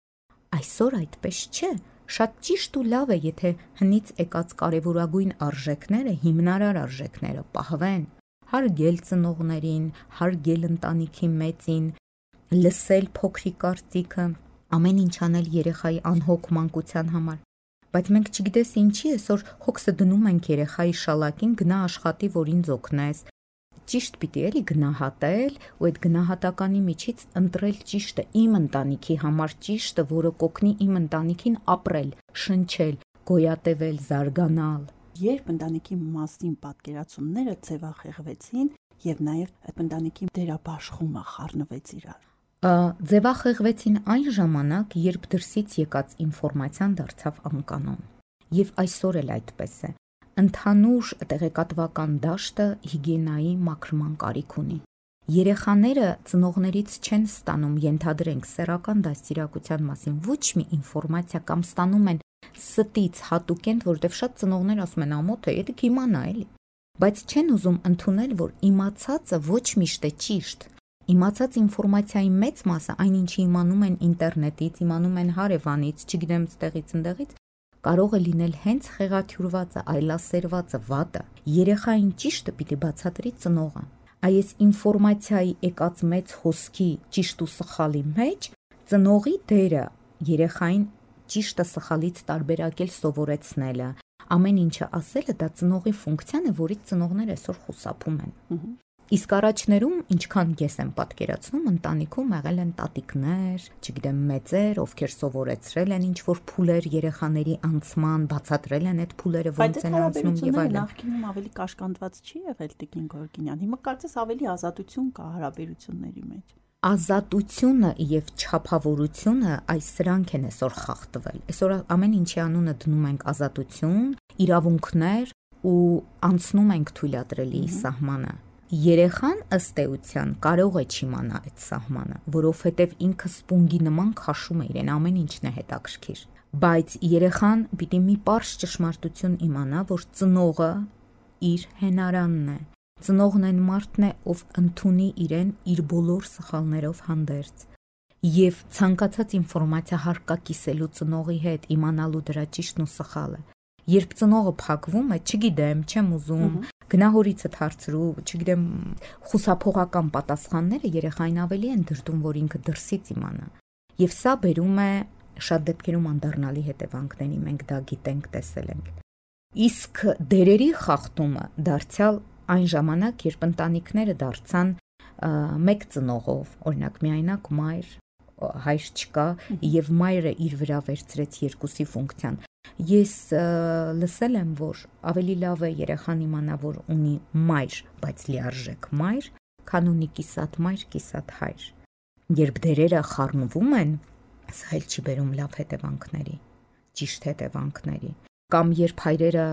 S3: Այսօր այդպես չէ, շատ ճիշտ ու լավ է, եթե հնից եկած կարևորագույն արժեքները, հիմնարար արժեքները պահվեն, հարգել ծնողներին, հարգել ընտանիքի մեծին, լսել փոքրի կարծիքը, ամեն ինչ անել երեխայի անհոգ մանկության համար։ Բայց մենք չգիտես ինչի այսօր հոգսը դնում ենք երեխայի շալակին, գնա աշխատի, որ ինձ օգնես։ Ճիշտ պիտի էլի գնահատել ու այդ գնահատականի միջից ընտրել ճիշտը, իմ ընտանիքի համար ճիշտը, որը կօգնի իմ ընտանիքին ապրել, շնչել, գոյատևել, զարգանալ։
S2: Երբ ընտանիքի մասին պատկերացումները ձևախեղվեցին եւ նաեւ այդ ընտանիքի դերաբաշխումը խառնվեց իրար։
S3: Ձևախեղվեցին այն ժամանակ, երբ դրսից եկած ինֆորմացիան դարձավ անկանոն։ Եվ այսօր էլ այդպես է։ Ընդհանուր տեղեկատվական դաշտը հիգիենայի մաքրման կարիք ունի։ Երեխաները ծնողներից չեն ստանում, ենթադրենք, սեռական դաստիարակության մասին ոչ մի ինֆորմացիա կամ ստանում են ստից հատուկենտ, որովհետև շատ ծնողներ ասում են ամոթ է, եթե իմանա էլի։ Բայց չեն ուզում ընդունել, որ իմացածը ոչ միշտ է ճիշտ։ Իմացած ինֆորմացիայի մեծ մասը, այնինչի իմանում են ինտերնետից, իմանում են հարևանից, չգիտեմ ստեղից ընդեղից, կարող է լինել հենց խեղաթյուրվածը, այլասերվածը, վատը։ Երեխային ճիշտը պիտի բացատրի ծնողը։ Այս ինֆորմացիայի եկած մեծ հոսքի ճիշտ ու սխալի մեջ ծնողի դերը երեխային ճիշտը սխալից տարբերակել սովորեցնելը, ամեն ինչը ասելը դա ծնողի ֆունկցիան է, որից ծնողները այսօր խուսափում են։ Իսկ առաջներում, ինչքան ես եմ պատկերացնում, ընտանիքում եղել են տատիկներ, չգիտեմ, մեծեր, ովքեր սովորեցրել են ինչ-որ փուլեր երեխաների անցման, բացատրել են այդ փուլերը ոնց են անցնում եւ այլն։
S2: Նախկինում ավելի կաշկանդված չի եղել Տիկին Գորգինյան։ Հիմա կարծես ավելի ազատություն կա հարաբերությունների մեջ։
S3: Ազատությունը եւ չափավորությունը այս սրանք են այսօր խախտվել։ Այսօր ամեն ինչի անունը դնում ենք ազատություն, իրավունքներ ու անցնում ենք թույլատրելի սահմանը։ Երեխան ըստ էության կարող է չիմանա այդ սահմանը, որովհետև ինքը սպունգի նման քաշում է իրեն, ամեն ինչն է հետաքրքիր։ Բայց երեխան պիտի մի պարզ ճշմարտություն իմանա, որ ծնողը իր հենարանն է։ Ծնողն այն մարդն է, ով ընդունի իրեն իր բոլոր սխալներով հանդերձ։ Եվ ցանկացած ինֆորմացիա հարկակիսելու ծնողի հետ, իմանալու դրա ճիշտն ու սխալը։ Երբ ծնողը փակվում է, չգիտեմ, չեմ ուզում, գնահորիցդ հարցրու, չգիտեմ, խուսափողական պատասխանները երեխային ավելի են դրդում, որ ինքը դրսից իմանա։ Եվ սա բերում է շատ դեպքերում անդառնալի հետևանքների, մենք դա գիտենք, տեսել ենք։ Իսկ դերերի խախտումը դարձյալ այն ժամանակ, երբ ընտանիքները դարձան մեկ ծնողով, օրինակ միայնակ մայր, հայր չկա, եւ մայրը իր վրա վերցրեց երկուսի ֆունկցիան։ Ես լսել եմ, որ ավելի լավ է երեխան իմանա, որ ունի մայր, բայց լիարժեք մայր, քան ունի կիսատ մայր, կիսատ հայր։ Երբ դերերը խառնվում են, սա էլ չի բերում լավ հետևանքների, ճիշտ հետևանքների։ Կամ երբ հայրերը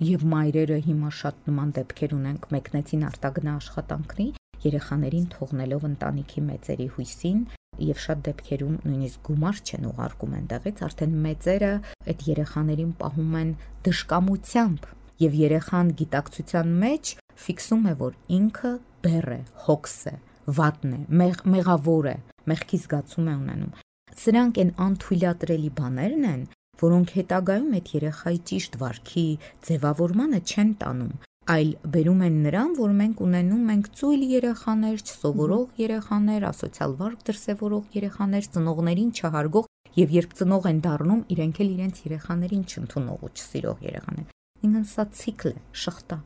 S3: եւ մայրերը հիմա շատ նման դեպքեր ունենք, մեկնեցին արտագնա աշխատանքների, երեխաներին թողնելով ընտանիքի մեծերի հույսին, եւ շատ դեպքերում նույնիսկ գումար չեն ուղարկում այնտեղից, արդեն մեծերը այդ երեխաներին պահում են դժկամությամբ, եւ երեխան գիտակցության մեջ ֆիքսում է, որ ինքը բեռ է, հոգս է, վատն է, մեղավոր է, մեղքի զգացում է ունենում։ Սրանք են անթույլատրելի բաներն են, որոնք հետագայում այդ երեխայի ճիշտ վարքի ձևավորմանը չեն տանում, այլ բերում են նրան, որ մենք ունենում ենք ծույլ երեխաներ, չսովորող երեխաներ, ասոցիալ վարք դրսևորող երեխաներ, ծնողներին չհարգող, եւ երբ ծնող են դառնում, իրենք էլ իրենց երեխաներին չընդունող ու չսիրող երեխաներ։ Ինքն սա ցիկլ է, շղթա,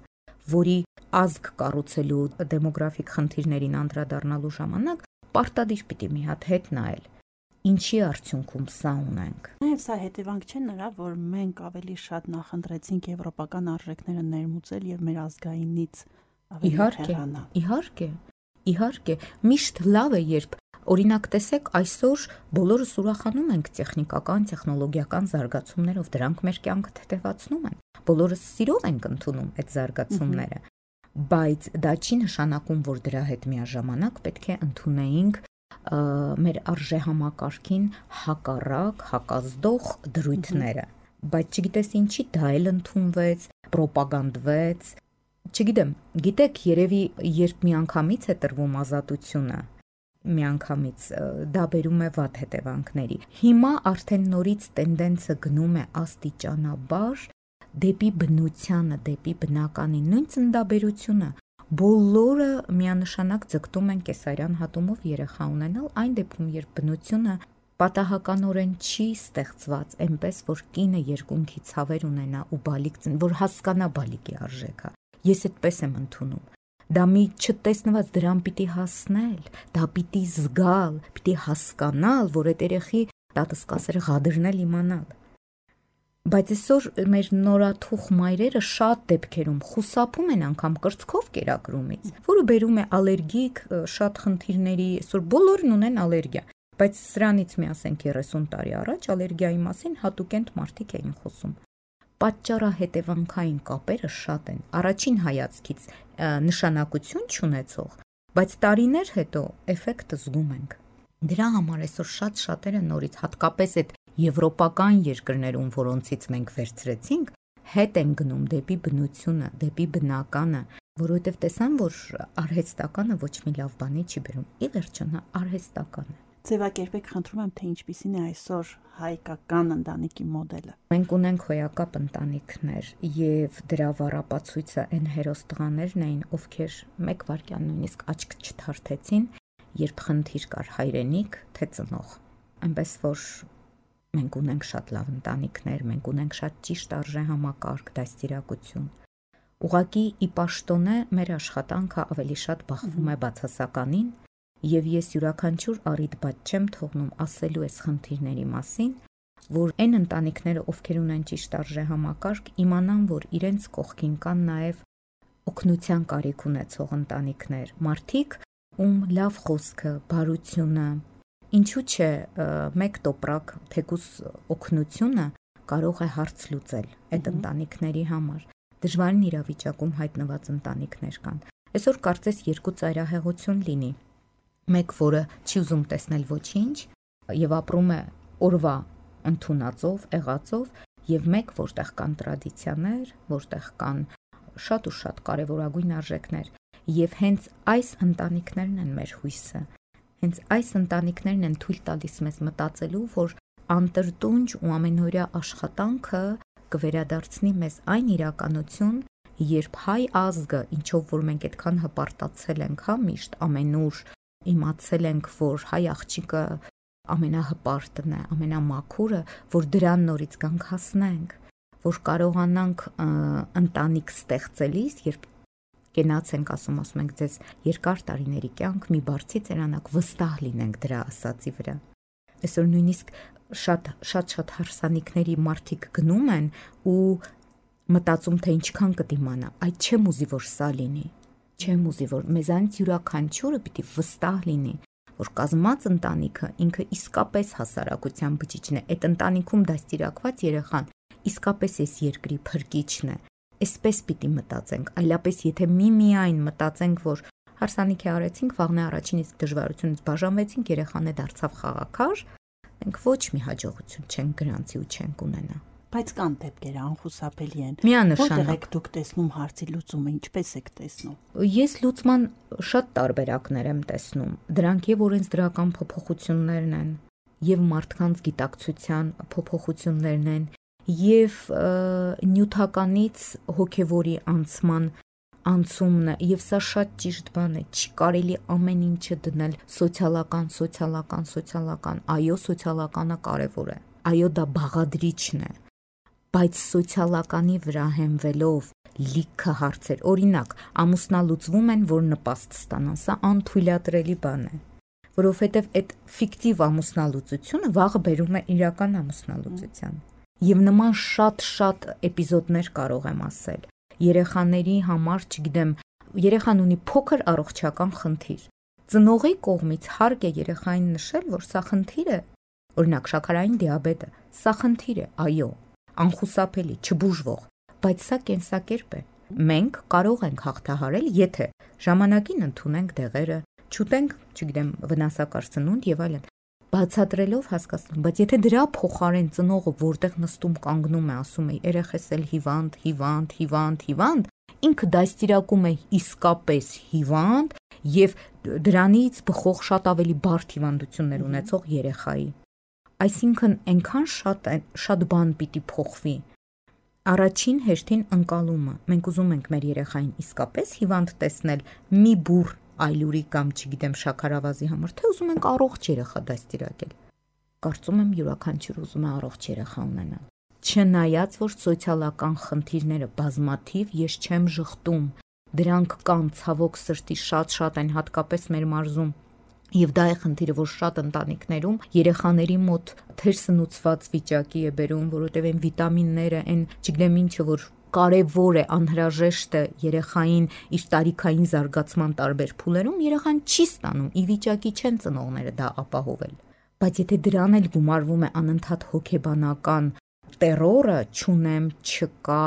S3: որի ազգ կառուցելու դեմոգրաֆիկ խնդիրներին անդրադառնալու ժամանակ պարտադիր պիտի մի հատ հետ նայել։ Ինչի արդյունքում սա ունենք։
S2: Նաև սա հետևանք չէ նրա, որ մենք ավելի շատ նախընտրեցինք եվրոպական արժեքները ներմուծել եւ մեր ազգայինից ավելի հեռանալ։ Իհարկե, միշտ լավ է, երբ օրինակ տեսեք, այսօր բոլորս ուրախանում ենք տեխնիկական, տեխնոլոգիական զարգացումներով, դրանք մեր կյանքը թեթևացնում են։ Բոլորս սիրով ենք ընդունում այդ զարգացումները, բայց դա չի նշանակում, որ դրա հետ միաժամանակ պետք է ընդունեինք մեր արժեհամակարգին հակառակ, հակազդող դրույթները, բայց չգիտես ինչի դա էլ ընդունվեց, պրոպագանդվեց, չգիտեմ, գիտեք, երևի երբ միանգամից է տրվում ազատությունը, միանգամից դա բերում է վատ հետևանքների։ Հիմա արդեն նորից տենդենսը գնում է աստիճանաբար դեպի բնությանը, դեպի բնականի, նույն ծննդաբերությունը։ Բոլորը միանշանակ ձգտում են կեսարյան հատումով երեխա ունենալ, այն դեպքում, երբ բնությունը պատահականորեն չի ստեղծված այնպես, որ կինը երկունքի ցավեր ունենա ու բալիկ ծնի, որ հասկանա բալիկի արժեքը։ Ես այդպես եմ ընդունում։ Դա մի չտեսնված դրան պիտի հասնել, դա պիտի զգալ, պիտի հասկանալ, որ այդ երեխի տատսկասերը ղադրնել իմանալ։ Բայց այսօր մեր նորաթուխ մայրերը շատ դեպքերում խուսափում են անգամ կրծքով կերակրումից, որը բերում է ալերգիկ շատ խնդիրների, այսօր բոլորն ունեն ալերգիա, բայց սրանից մի ասենք 30 տարի առաջ ալերգիայի մասին հատուկենտ մարդիկ էին խոսում։ Պատճառահետևանքային կապերը շատ են, առաջին հայացքից նշանակություն չունեցող, բայց տարիներ հետո էֆեկտը զգում ենք։ Դրա համար այսօր շատ շատերը նորից, հատկապես այդ եվրոպական երկրներում, որոնցից մենք վերցրեցինք, հետ են գնում դեպի բնությունը, դեպի բնականը, որովհետև տեսան, որ արհեստականը ոչ մի լավ բանի չի բերում։ Ի վերջո նա արհեստական է։ Ձևակերպեք, խնդրում եմ, թե ինչպիսին է այսօր հայկական ընտանիքի մոդելը։ Մենք
S3: ունենք հոյակապ ընտանիքներ եւ դրա վառապացույցը այն հերոս տղաներն էին, ովքեր մեկ վայրկյան նույնիսկ աչք չթարթեցին, երբ խնդիր կար հայրենիք, թե ծնող։ Այնպես որ մենք ունենք շատ լավ ընտանիքներ, մենք ունենք շատ ճիշտ արժեհամակարգ, դաստիարակություն։ Ուղղակի ի պաշտոնե մեր աշխատանքը ավելի շատ բախվում է բացասականին, եւ ես յուրաքանչյուր առիթ բաց չեմ թողնում ասելու այս խնդիրների մասին, որ այն ընտանիքները, ովքեր ունեն ճիշտ արժեհամակարգ, իմանան, որ իրենց կողքին կան նաեւ օգնության կարիք ունեցող ընտանիքներ, մարդիկ, ում լավ խոսքը, բարությունը, ինչու՞ չէ մեկ տոպրակ թեկուս օգնությունը կարող է հարց լուծել այդ ընտանիքների համար։ Դժվարին իրավիճակում հայտնված ընտանիքներ կան։ Այսօր կարծես երկու ծայրահեղություն լինի։ Մեկ, որը չի ուզում տեսնել ոչինչ եւ ապրում է օրվա ընդունածով, եղածով, եւ մեկ, որտեղ կան տրադիցիաներ, որտեղ կան շատ ու շատ կարևորագույն արժեքներ, եւ հենց այս ընտանիքներն են մեր հույսը։ Հենց այս ընտանիքներն են թույլ տալիս մեզ մտածելու, որ անտրտունջ ու ամենօրյա աշխատանքը կվերադարձնի մեզ այն իրականություն, երբ հայ ազգը, ինչով որ մենք այդքան հպարտացել ենք, միշտ ամենուր իմացել ենք, որ հայ աղջիկը ամենահպարտն է, ամենամաքուրը, որ դրան նորից գանք հասնենք, որ կարողանանք ընտանիք ստեղծելիս, երբ կենաց ենք ասում ենք ձեզ երկար տարիների կյանք, մի բարձի ծերանակ վստահ լինենք դրա ասածի վրա։ Այսօր նույնիսկ շատ հարսանիքների մարդիկ գնում են ու մտածում, թե ինչքան կդիմանա, այդ չեմ ուզի, որ սա լինի, չեմ ուզի, որ մեզանից յուրաքանչյուրը պիտի վստահ լինի, որ կազմած ընտանիքը ինքը իսկապես հասարակության բջիջն է, այդ ընտանիքում դաստիարակված երեխան իսկապես այս երկրի փրկիչն է։ Այսպես պիտի մտածենք, այլապես եթե միայն մտածենք, որ հարսանիքի արեցինք, վաղն է առաջին իսկ դժվարությունից բաժանվեցինք, երեխան է դարձավ խաղաքար, մենք ոչ մի հաջողություն չենք գրանցի ու չենք ունենա։
S2: Բայց կան դեպքեր անխուսափելի են։
S3: Որտեղ
S2: եք դուք տեսնում հարցի լուծումը, ինչպես եք տեսնում։
S3: Ես լուծման շատ տարբերակներ եմ տեսնում։ Դրանք եւ օրենսդրական փոփոխություններն են, եւ մարդկանց գիտակցության փոփոխություններն են, եւ նյութականից հոգեվորի անցման անցումն է, եւ սա շատ ճիշտ բան է, չի կարելի ամեն ինչը դնել սոցիալական, այո, սոցիալականը կարևոր է, այո, դա բաղադրիչն է, բայց սոցիալականի վրա հենվելով լիքը հարցեր, օրինակ, ամուսնալուծվում են, որ նպաստ ստանան, սա անթույլատրելի բան է, որովհետեւ այդ ֆիկտիվ ամուսնալուծությունը վաղը բերում է իրական ամուսնալուծության, եւ նման շատ էպիզոդներ կարող եմ ասել։ Երեխաների համար, չգիտեմ, երեխան ունի փոքր առողջական խնդիր։ Ծնողի կողմից հարկ է երեխային նշել, որ սա խնդիր է, օրինակ շաքարային դիաբետը, սա խնդիր է, այո, անխուսափելի, չբուժվող, բայց սա կենսակերպ է։ Մենք կարող ենք հաղթահարել, եթե ժամանակին ընդունենք դեղերը, չուտենք, չգիտեմ, վնասակար սնունդ եւ այլն, բացատրելով հասկացնում, բայց եթե դրա փոխարեն ծնողը որտեղ նստում կանգնում է, ասում է երեխես էլ հիվանդ, ինքը դաստիարակում է իսկապես հիվանդ եւ դրանից բխող շատ ավելի բարդ հիվանդություններ ունեցող երեխայի։ Այսինքն այնքան շատ բան պիտի փոխվի։ Առաջին հերթին ընկալումը։ Մենք ուզում ենք մեր երեխային իսկապես հիվանդ տեսնել մի բուռ այլուրի կամ չգիտեմ շաքարավազի համար, թե ուզում ենք առողջ երեխա դաստիարակել։ Կարծում եմ յուրաքանչյուր ուզում է առողջ երեխա ունենալ։ Չնայած որ սոցիալական խնդիրները բազմաթիվ, ես չեմ ժխտում, դրանք կան ցավոք սրտի շատ են, հատկապես մեր մարզում։ Եվ դա է խնդիրը, որ շատ ընտանիքներում երեխաների մոտ թերսնուցված վիճակի է բերում, որովհետև այն վիտամինները, այն չգիտեմ ինչը, որ կարևոր է, անհրաժեշտ է երեխային իր տարիքային զարգացման տարբեր փուլերում, երեխան չի ստանում, ի վիճակի չեն ծնողները դա ապահովել։ Բայց եթե դրան էլ գումարվում է անընդհատ հոգեբանական տերորը, չունեմ, չկա,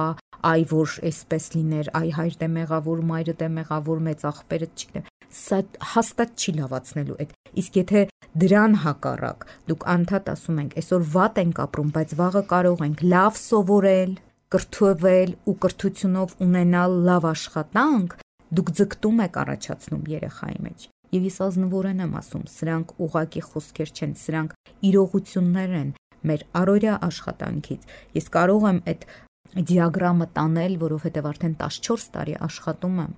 S3: այ որ այսպես լիներ, այ հայրդ է մեղավոր, մայրդ է մեղավոր, մեծ աղբերը, չգիտեմ, սա հաստատ չի լավացնելու այդ։ Իսկ եթե դրան հակառակ դուք անդադ ասում ենք, այսօր վատ ենք ապրում, բայց վաղը կարող ենք լավ սովորել, կրթվել ու կրթությունով ունենալ լավ աշխատանք, դուք ձգտում եք առաջացնում երեխայի մեջ։ Եվ ես ազնվորեն եմ ասում, սրանք ուղղակի խոսքեր չեն, սրանք իրողություններ են մեր առօրյա աշխատանքից։ Ես կարող եմ այդ դիագրամը տանել, որովհետև արդեն 14 տարի աշխատում եմ։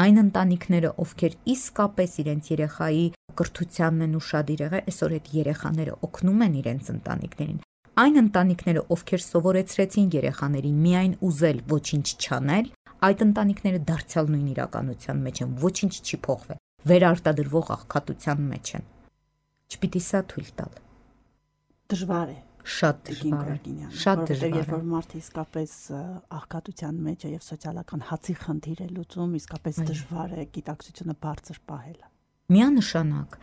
S3: Այն ընտանիքները, ովքեր իսկապես իրենց երեխայի կրթությանն են ուշադիր եղել, այսօր այդ երեխաները օգնում են իրենց ընտանիքներին։ այն ընտանիքները, ովքեր սովորեցրեցին երեխաներին միայն ուզել, ոչինչ չանել, այդ ընտանիքները դարձյալ նույն իրականության մեջ են, ոչինչ չի փոխվել, վերարտադրվող աղքատության մեջ են։ Չպիտի սա թույլ տալ։
S2: Դժվար է։
S3: Շատ դժվար է։ Շատ դժվար է։
S2: Երբ որ մարդը իսկապես աղքատության մեջ է եւ սոցիալական հացի խնդիր է լուծում, իսկապես դժվար է գիտակցությունը բարձր պահելը։
S3: Միանշանակ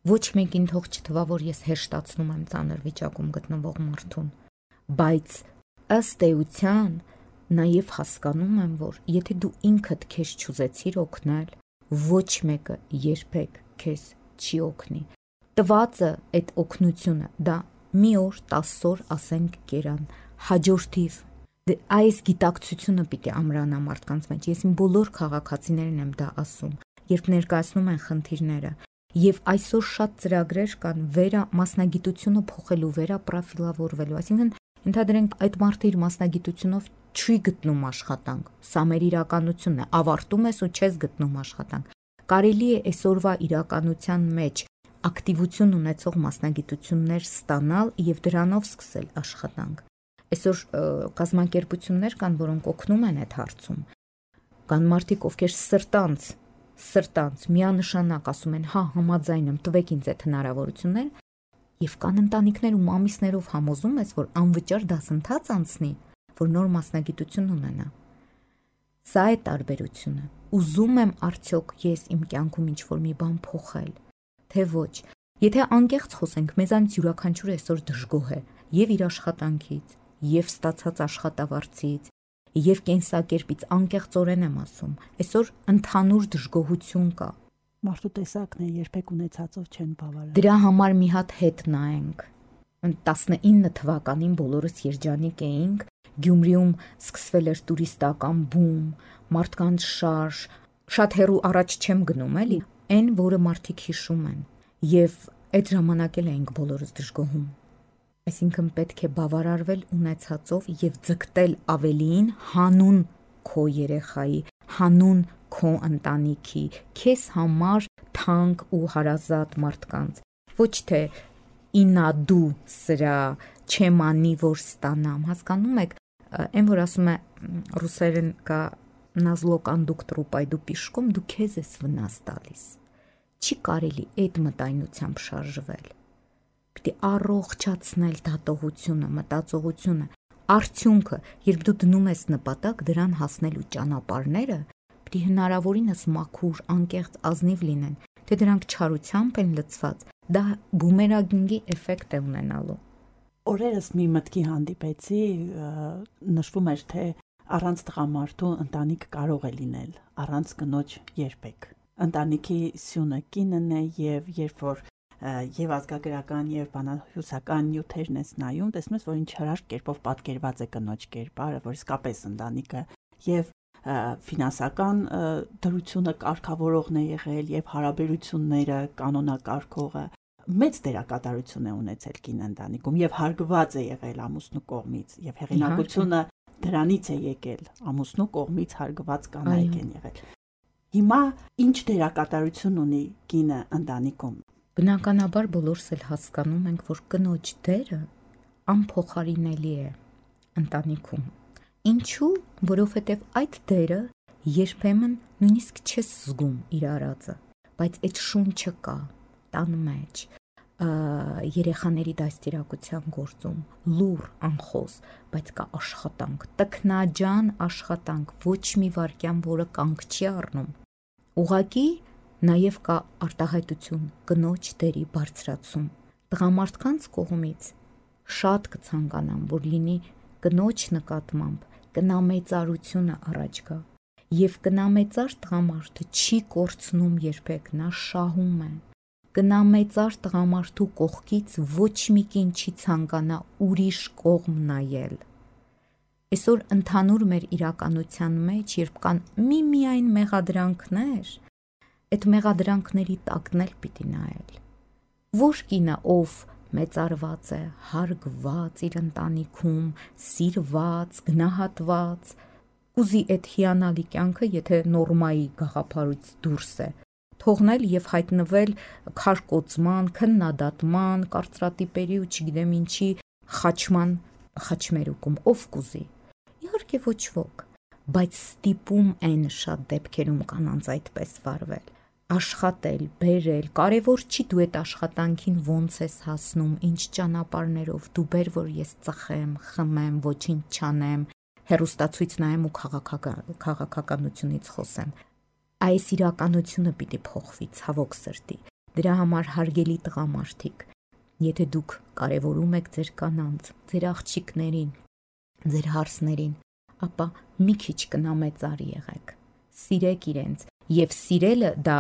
S3: ոչ մեկին թող չթվա, որ ես հեշտացնում եմ ծանր վիճակում գտնվող մարդուն, բայց ըստ էության նաև հասկանում եմ, որ եթե դու ինքդ քեզ չուզեցիր օգնել, ոչ մեկը երբեք քեզ չի օգնի։ Տվածը այդ օգնությունը դա մի օր, 10 օր, ասենք կերան, հաջորդիվ այս գիտակցությունը պիտի ամրանա մարդկանց մեջ։ Ես իմ բոլոր քաղաքացիներին եմ դա ասում, երբ ներկայացնում են խնդիրները։ Եվ այսօր շատ ծրագրեր կան մասնագիտությունը փոխելու, վերապրոֆիլավորվելու, այսինքն ընդհանրենք այդ մարդը իր մասնագիտությունով չի գտնում աշխատանք, սա մեր իրականությունն է, ավարտում ես ու չես գտնում աշխատանք։ Կարելի է այսօրվա իրականության մեջ ակտիվություն ունեցող մասնագիտություններ ստանալ եւ դրանով սկսել աշխատանք։ Այսօր կազմակերպություններ կան, որոնք օգնում են այդ հարցում։ Կան մարդիկ, ովքեր սրտանց միանշանակ ասում են, հա, համաձայն եմ, տվեք ինձ այդ հնարավորություններ, եւ կան ընտանիքներ ու մամիսներով համոզում ես, որ անվճար դասընթաց անցնի, որ նոր մասնագիտություն ունենա։ Սա է տարբերությունը։ Ուզում եմ արդյոք ես իմ կյանքում ինչ-որ մի բան փոխել, թե ոչ։ Եթե անկեղծ խոսենք, մեզանից յուրաքանչյուրը այսօր դժգոհ է եւ իր աշխատանքից, եւ ստացած աշխատավարձից, եւ կենսակերպից, անկեղծորեն եմ ասում, այսօր ընդհանուր դժգոհություն կա։
S2: Մարդու տեսակն է, երբեք ունեցածով չեն բավարարում։
S3: Դրա համար մի հատ հետ նայենք։ 19 թվականին բոլորս երջանիկ էինք, Գյումրիում սկսվել էր տուրիստական բում, մարդկանց շարժ, շատ հեռու առաջ չեմ գնում, էլի, այն, որը մարդիկ հիշում են, եւ այդ ժամանակ էլ էինք բոլորս դժգոհում։ Այսինքն պետք է բավարարվել ունեցածով եւ ձգտել ավելին հանուն քո երեխայի, հանուն քո ընտանիքի, քեզ համար թանկ ու հարազատ մարդկանց։ Ոչ թե ինա դու սրա չեմանի որ ստանամ, հասկանում եք, այն որ ասում է ռուսերեն կա նազլո կոնդուկտորу պայդու պիշկում, դու քեզ ես վնաս տալիս։ Չի կարելի այդ մտայնությամբ շարժվել։ Պիտի առողջացնել դատողությունը, մտածողությունը, արդյունքը, երբ դու դնում ես նպատակ դրան հասնելու ճանապարհները, պիտի հնարավորինս մաքուր, անկեղծ, ազնիվ լինեն, թե դրանք չարությամբ են լցված, դա բումերանգի էֆեկտ է ունենալու։
S2: Օրերս մի մտքի հանդիպեցի, նշվում էր, թե առանց տղամարդու ընտանիք կարող է լինել, առանց կնոջ երբեք։ Ընտանիքի սյունը կինն է եւ երբ որ եւ ազգագրական եւ բանահյուսական նյութերն ես նայում, տեսնում ես, որ ինչ հրաշք կերպով պատկերված է կնոջ կերպարը, որ իսկապես ընտանիքը եւ ֆինանսական դրությունը կարգավորողն է եղել եւ հարաբերությունները կանոնակարգողը մեծ դերակատարություն է ունեցել կին ընտանիքում եւ հարգված է եղել ամուսնու կողմից եւ հեղինակությունը դրանից է եկել, ամուսնու կողմից հարգված կանայք են եղել։ Հիմա ինչ դերակատարություն ունի կինը ընտանիքում։
S3: Բնականաբար բոլորս էլ հասկանում ենք, որ կնոջ դերը անփոխարինելի է ընտանիքում։ Ինչու՞, որովհետև այդ դերը երբեմն նույնիսկ չես զգում իր արածը, բայց այդ շունչը կա տան մեջ, երեխաների դաստիարակության գործում, լուր, անխոս, բայց կա աշխատանք, տքնաջան աշխատանք, ոչ մի վարքյան, որը կանգ չի առնում։ Ուղղակի նաև կա արտահայտություն, կնոջ դերի բարձրացում։ Տղամարդկանց կողմից շատ կցանկանամ, որ լինի կնոջ նկատմամբ կնամեծարությունը առաջ գա։ Եվ կնամեծար տղամարդը չի կորցնում երբեք, նա շահում է։ Կնամեծար տղամարդու կողքից ոչ մի կին չի ցանկանա ուրիշ կողմ նայել։ Այսօր ընդհանուր մեր իրականության մեջ, երբ կան միայն մեղադրանքներ, այդ մեղադրանքների տակն էլ պիտի նայել։ Որ կինը, ով մեծարված է, հարգված իր ընտանիքում, սիրված, գնահատված, ուզի այդ հիանալի կյանքը, եթե նորմայի գաղափարից դուրս է, թողնել եւ հայտնվել քարկոծման, քննադատման, կարծրատիպերի ու չգիտեմ ինչի խաչմերուկում ով կուզի։ Իհարկե ոչ ոք, բայց ստիպում են շատ դեպքերում կանանց այդպես վարվել։ Աշխատել, բերել, կարևոր չի դու այդ աշխատանքին ոնց ես հասնում, ինչ ճանապարհներով, դու բեր որ ես ծխեմ, խմեմ, ոչինչ չանեմ, հեռուստացույց նայեմ ու քաղաքականությունից խոսեմ։ Այս իրականությունը պիտի փոխվի, ցավոք սրտի։ Դրա համար հարգելի տղամարդիկ, եթե դուք կարևորում եք ձեր կանանց, ձեր աղջիկներին, ձեր հարսներին, ապա մի քիչ կնամեծար եղեք։ Սիրեք իրենց, եւ սիրելը դա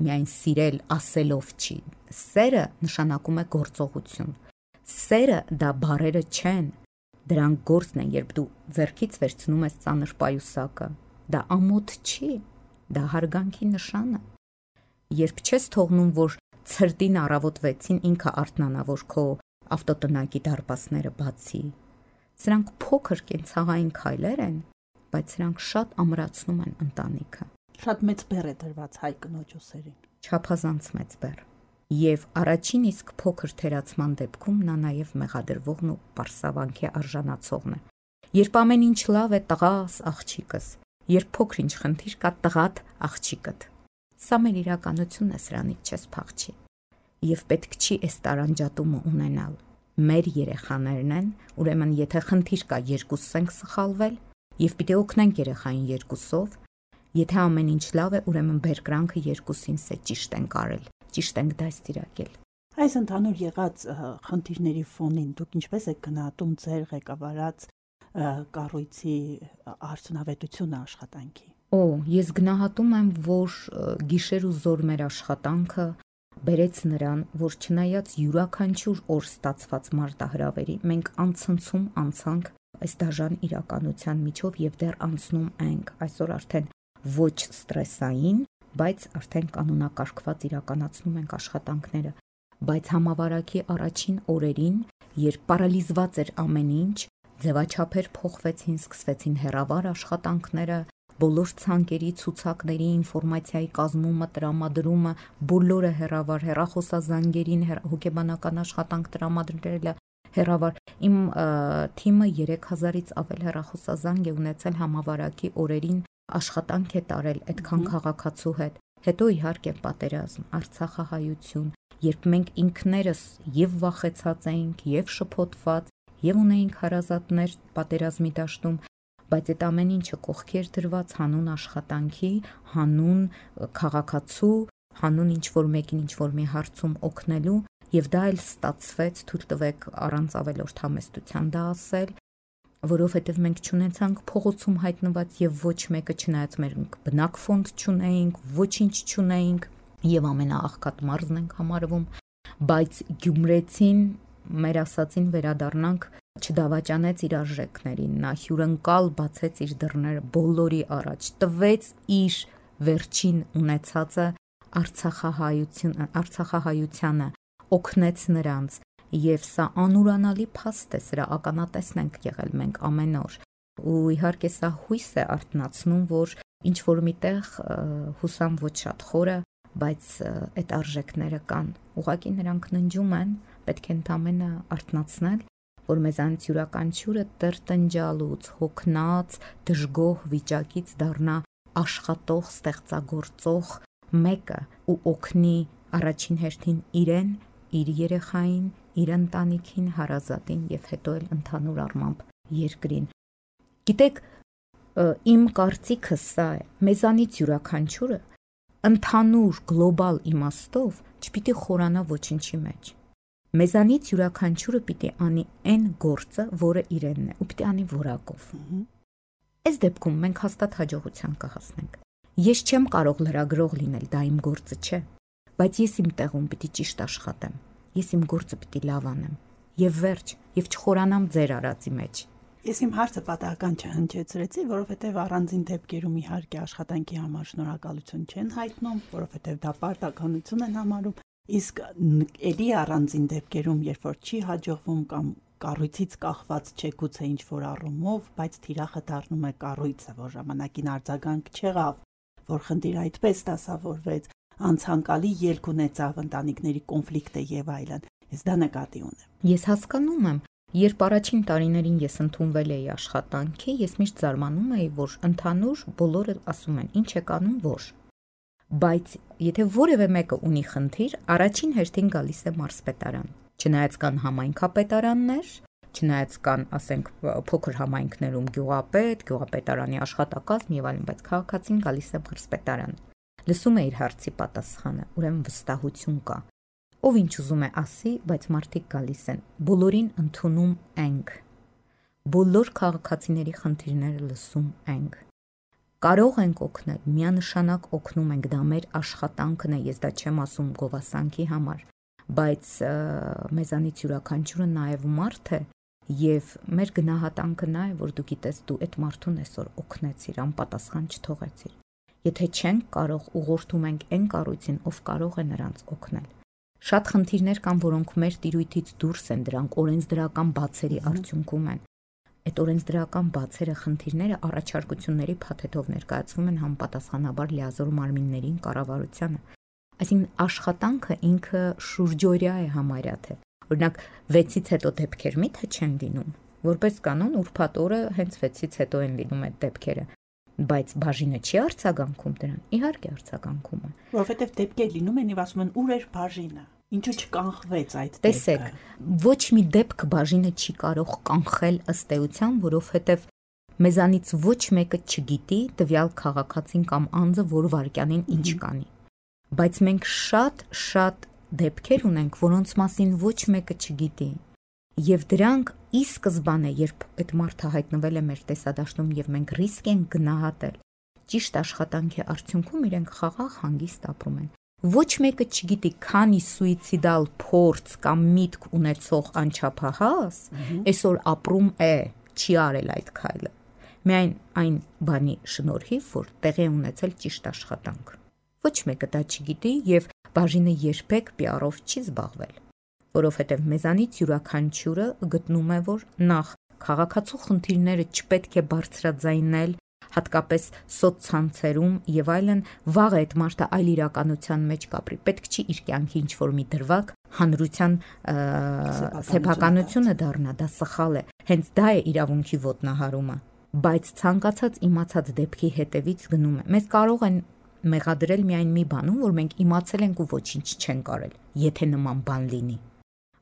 S3: միայն սիրել ասելով չի։ Սերը նշանակում է գործողություն։ Սերը դա բառերը չեն, դրանք գործն են, երբ դու ձեռքից վերցնում ես ծանր պայուսակը։ Դա ամոթ չի, դա հարգանքի նշան է։ Երբ չես թողնում, որ ցրտին առավոտ 6-ին ինքը արթնանա, որ քո ավտոտնակի դարպասները բացի։ Սրանք փոքր կենցաղային քայլեր են, բայց սրանք շատ ամրացնում են ընտանիքը։
S2: Շատ մեծ բեռ է դրված հայ կնոջ ուսերին։
S3: Չափազանց մեծ բեռ։ Եվ առաջին իսկ փոքր թերացման դեպքում նա նաև մեղադրվողն ու պարսավանքի արժանացողն է։ Երբ ամեն ինչ լավ է, տղաս, աղջիկս, երբ փոքր-ինչ խնդիր կա, տղատ, աղջիկդ։ Սա մեր իրականությունն է, սրանից չես փախչի։ Եվ պետք չի այս տարանջատումը ունենալ։ Մեր երեխաներն են, ուրեմն եթե խնդիր կա, երկուսս ենք սխալվել, եւ պիտի օգնենք երեխային երկուսով։ Եթե ամեն ինչ լավ է, ուրեմն բերկրանքը երկուսինս է ճիշտ ենք արել, ճիշտ ենք դաստիարակել։
S2: Այս ընդհանուր եղած խնդիրների ֆոնին դուք ինչպես եք գնահատում ձեր ղեկավարած կառույցի արդյունավետությունը աշխատանքի։
S3: Ես գնահատում եմ, որ գիշեր ու զոր մեր աշխատանքը բերեց նրան, որ չնայած յուրաքանչյուր օր ստացված մարտահրավերի, մենք անցնցում անցանք այս դաժան իրականության միջով եւ դեռ անցնում ենք։ Այսօր արդեն ոչ ստրեսային, բայց արդեն կանոնակարգված իրականացնում ենք աշխատանքները, բայց համավարակի առաջին օրերին, երբ պարալիզված էր ամեն ինչ, ձևաչափեր փոխվեցին, սկսվեցին հեռավար աշխատանքները, բոլոր ցանկերի, ցուցակների, ինֆորմացիայի կազմումը, տրամադրումը, բոլորը հեռավար, հեռախոսազանգերին, հոգեբանական աշխատանք տրամադրելը հեռավար։ Իմ թիմը 3000-ից ավել հեռախոսազանգ է ունեցել համավարակի օրերին, աշխատանք է տարել այդքան քաղաքացու հետ։ Հետո իհարկե պատերազմ, Արցախահայություն, երբ մենք ինքներս եւ վախեցած էինք, եւ շփոթված, եւ ունեինք հարազատներ պատերազմի դաշտում, բայց այդ ամեն ինչը կողքի էր դրված հանուն աշխատանքի, հանուն քաղաքացու, հանուն ինչ-որ մեկին ինչ-որ մի հարցում օգնելու, եւ դա էլ ստացվեց, թույլ տվեք առանց ավելորդ համեստության դա ասել, որովհետև մենք չունեցանք փողոցում հայտնված եւ ոչ մեկը չնայած մեր բնակ ֆոնդ չունեինք, ոչինչ չունեինք եւ ամենաաղքատ մարզն ենք համարվում, բայց Գյումրեցին մեր ասածին վերադառնանք չդավաճանեց իր արժեքներին, նա հյուրընկալ բացեց իր դռները բոլորի առաջ, տվեց իր վերջին ունեցածը Արցախահայությանը, օգնեց նրանց եւ սա անուրանալի փաստ է, սրա ականատեսն ենք եղել մենք ամեն օր։ Ու իհարկե սա հույս է արթնացնում, որ ինչ որ միտեղ հուսամ ոչ շատ խորը, բայց այդ արժեքները կան։ Ուղղակի նրանք ննջում են, պետք է ընդամենը արթնացնել, որ մեզանից յուրաքանչյուրը տրտնջալուց, հոգնած, դժգոհ վիճակից դառնա աշխատող, ստեղծագործող մեկը ու օգնի առաջին հերթին իրեն, իր երեխային, իր ընտանիքին, հարազատին եւ հետո էլ ընդհանուր առմամբ երկրին։ Գիտեք, իմ կարծիքը սա է, մեզանից յուրաքանչյուրը ընդհանուր գլոբալ իմաստով չպիտի խորանա ոչինչի մեջ։ Մեզանից յուրաքանչյուրը պիտի անի այն գործը, որը իրենն է, ու պիտի անի որակով։ Այս դեպքում մենք հաստատ հաջողության կհասնենք։ Ես չեմ կարող լրագրող լինել, դա իմ գործը չէ, բայց ես իմ տեղում պիտի ճիշտ աշխատեմ։ Ես իմ գործը պիտի լավ անեմ եւ վերջ, եւ չխորանամ ձեր արածի մեջ։
S2: Ես իմ հարցը պատահական չհնչեցրեցի, որովհետեւ առանձին դեպքերում իհարկե աշխատանքի համար շնորհակալություն չեն հայտնում, որովհետեւ դա պարտականություն են համարում, իսկ ելի առանձին դեպքերում, երբ որ չի հաջողվում կամ կառույցից կախված չէ գուցե ինչ որ առումով, բայց թիրախը դառնում է կառույցը, որ ժամանակին արձագանք չեղավ, որ խնդիրը այդպես դասավորվեց, անցանկալի ելք ունեցավ ընտանիքների կոնֆլիկտը եւ այլն։ Ես դա նկատի ունեմ։
S3: Ես հասկանում եմ, Երբ առաջին տարիներին ես ընդունվել էի աշխատանքի, ես միշտ զարմանում էի, որ ընդհանուր բոլորը ասում են, ինչ եք անում, որ։ Բայց եթե որևէ մեկը ունի խնդիր, առաջին հերթին գալիս է մարզպետարան։ Չնայած կան համայնքապետարաններ, չնայած կան, ասենք, փոքր համայնքներում գյուղապետ, գյուղապետարանի աշխատակազմ եւ այլն, բայց քաղաքացին գալիս է մարզպետարան։ Լսում է իր հարցի պատասխանը, ուրեմն վստահություն կա։ Ով ինչ ուզում է ասի, բայց մարդիկ գալիս են, բոլորին ընդունում ենք։ Բոլոր քաղաքացիների խնդիրները լսում ենք։ Կարող ենք օգնել, միանշանակ օգնում ենք, դա մեր աշխատանքն է, ես դա չեմ ասում գովասանքի համար, բայց մեզանից յուրաքանչյուրը նաև մարդ է, եւ մեր գնահատանքը նա է, որ դու գիտես, դու այդ մարդուն այսօր օգնեցիր, անպատասխան չթողեցիր։ Եթե չենք կարող, ուղղորդում ենք այն կառույցին, ով կարող է նրանց օգնել։ Շատ խնդիրներ կան, որոնք մեր տիրույթից դուրս են, դրանք օրենսդրական բացերի արդյունքում են։ Այդ օրենսդրական բացերը, խնդիրները առաջարկությունների փաթեթով ներկայացվում են համապատասխանաբար լիազոր մարմիններին, կառավարությանը։ Այսինքն աշխատանքը ինքը շուրջօրյա է համարյա թե։ Օրինակ 6-ից հետո դեպքեր միթե չեն լինում, որպես կանոն ուրբաթ օրը հենց 6-ից հետո են լինում այդ դեպքերը, բայց բաժինը չի արձագանքում դրան, իհարկե արձագանքում է,
S2: որովհետև դեպքեր լինում են եւ ասում են ուր էր բաժինը, ինչու չկանխվեց այդ դեպքը։
S3: Տեսեք, ոչ մի դեպք բաժինը չի կարող կանխել ըստ էության, որովհետև մեզանից ոչ մեկը չգիտի տվյալ քաղաքացին կամ անձը որ վարքյանին ինչ կանի, բայց մենք շատ դեպքեր ունենք, որոնց մասին ոչ մեկը չգիտի, եւ դրանք ի սկզբանե, երբ այդ մարդը հայտնվել է մեր տեսադաշտում եւ մենք ռիսկ ենք գնահատել, ճիշտ աշխատանքի արդյունքում իրենք խաղաղ հանգիստ ապրում են։ Ոչ մեկը չգիտի, քանի սուիցիդալ փորձ կամ միտք ունեցող անչափահաս այսօր ապրում է, չի արել այդ քայլը։ Միայն այն բանի շնորհիվ, որ տեղի ունեցել ճիշտ աշխատանք։ Ոչ մեկը դա չգիտի եւ բաժինը երբեք PR-ով չի զբաղվել, որովհետև մեզանից յուրաքանչյուրը գտնում է, որ նախ քաղաքացու խնդիրները չպետք է բարձրաձայնել, հատկապես սոցցանցերում եւ այլն, վաղ այդ մարդը այլ իրականության մեջ կապրի, պետք չի իր կյանքի ինչ-որ մի դրվագ հանրության սեփականությունը դառնա, դա սխալ է, հենց դա է իրավունքի ոտնահարումը, բայց ցանկացած իմացած դեպքի հետևից գնում է, մեզ կարող են մեղադրել միայն մի բանում, որ մենք իմացել ենք ու ոչինչ չենք արել, եթե նման բան լինի։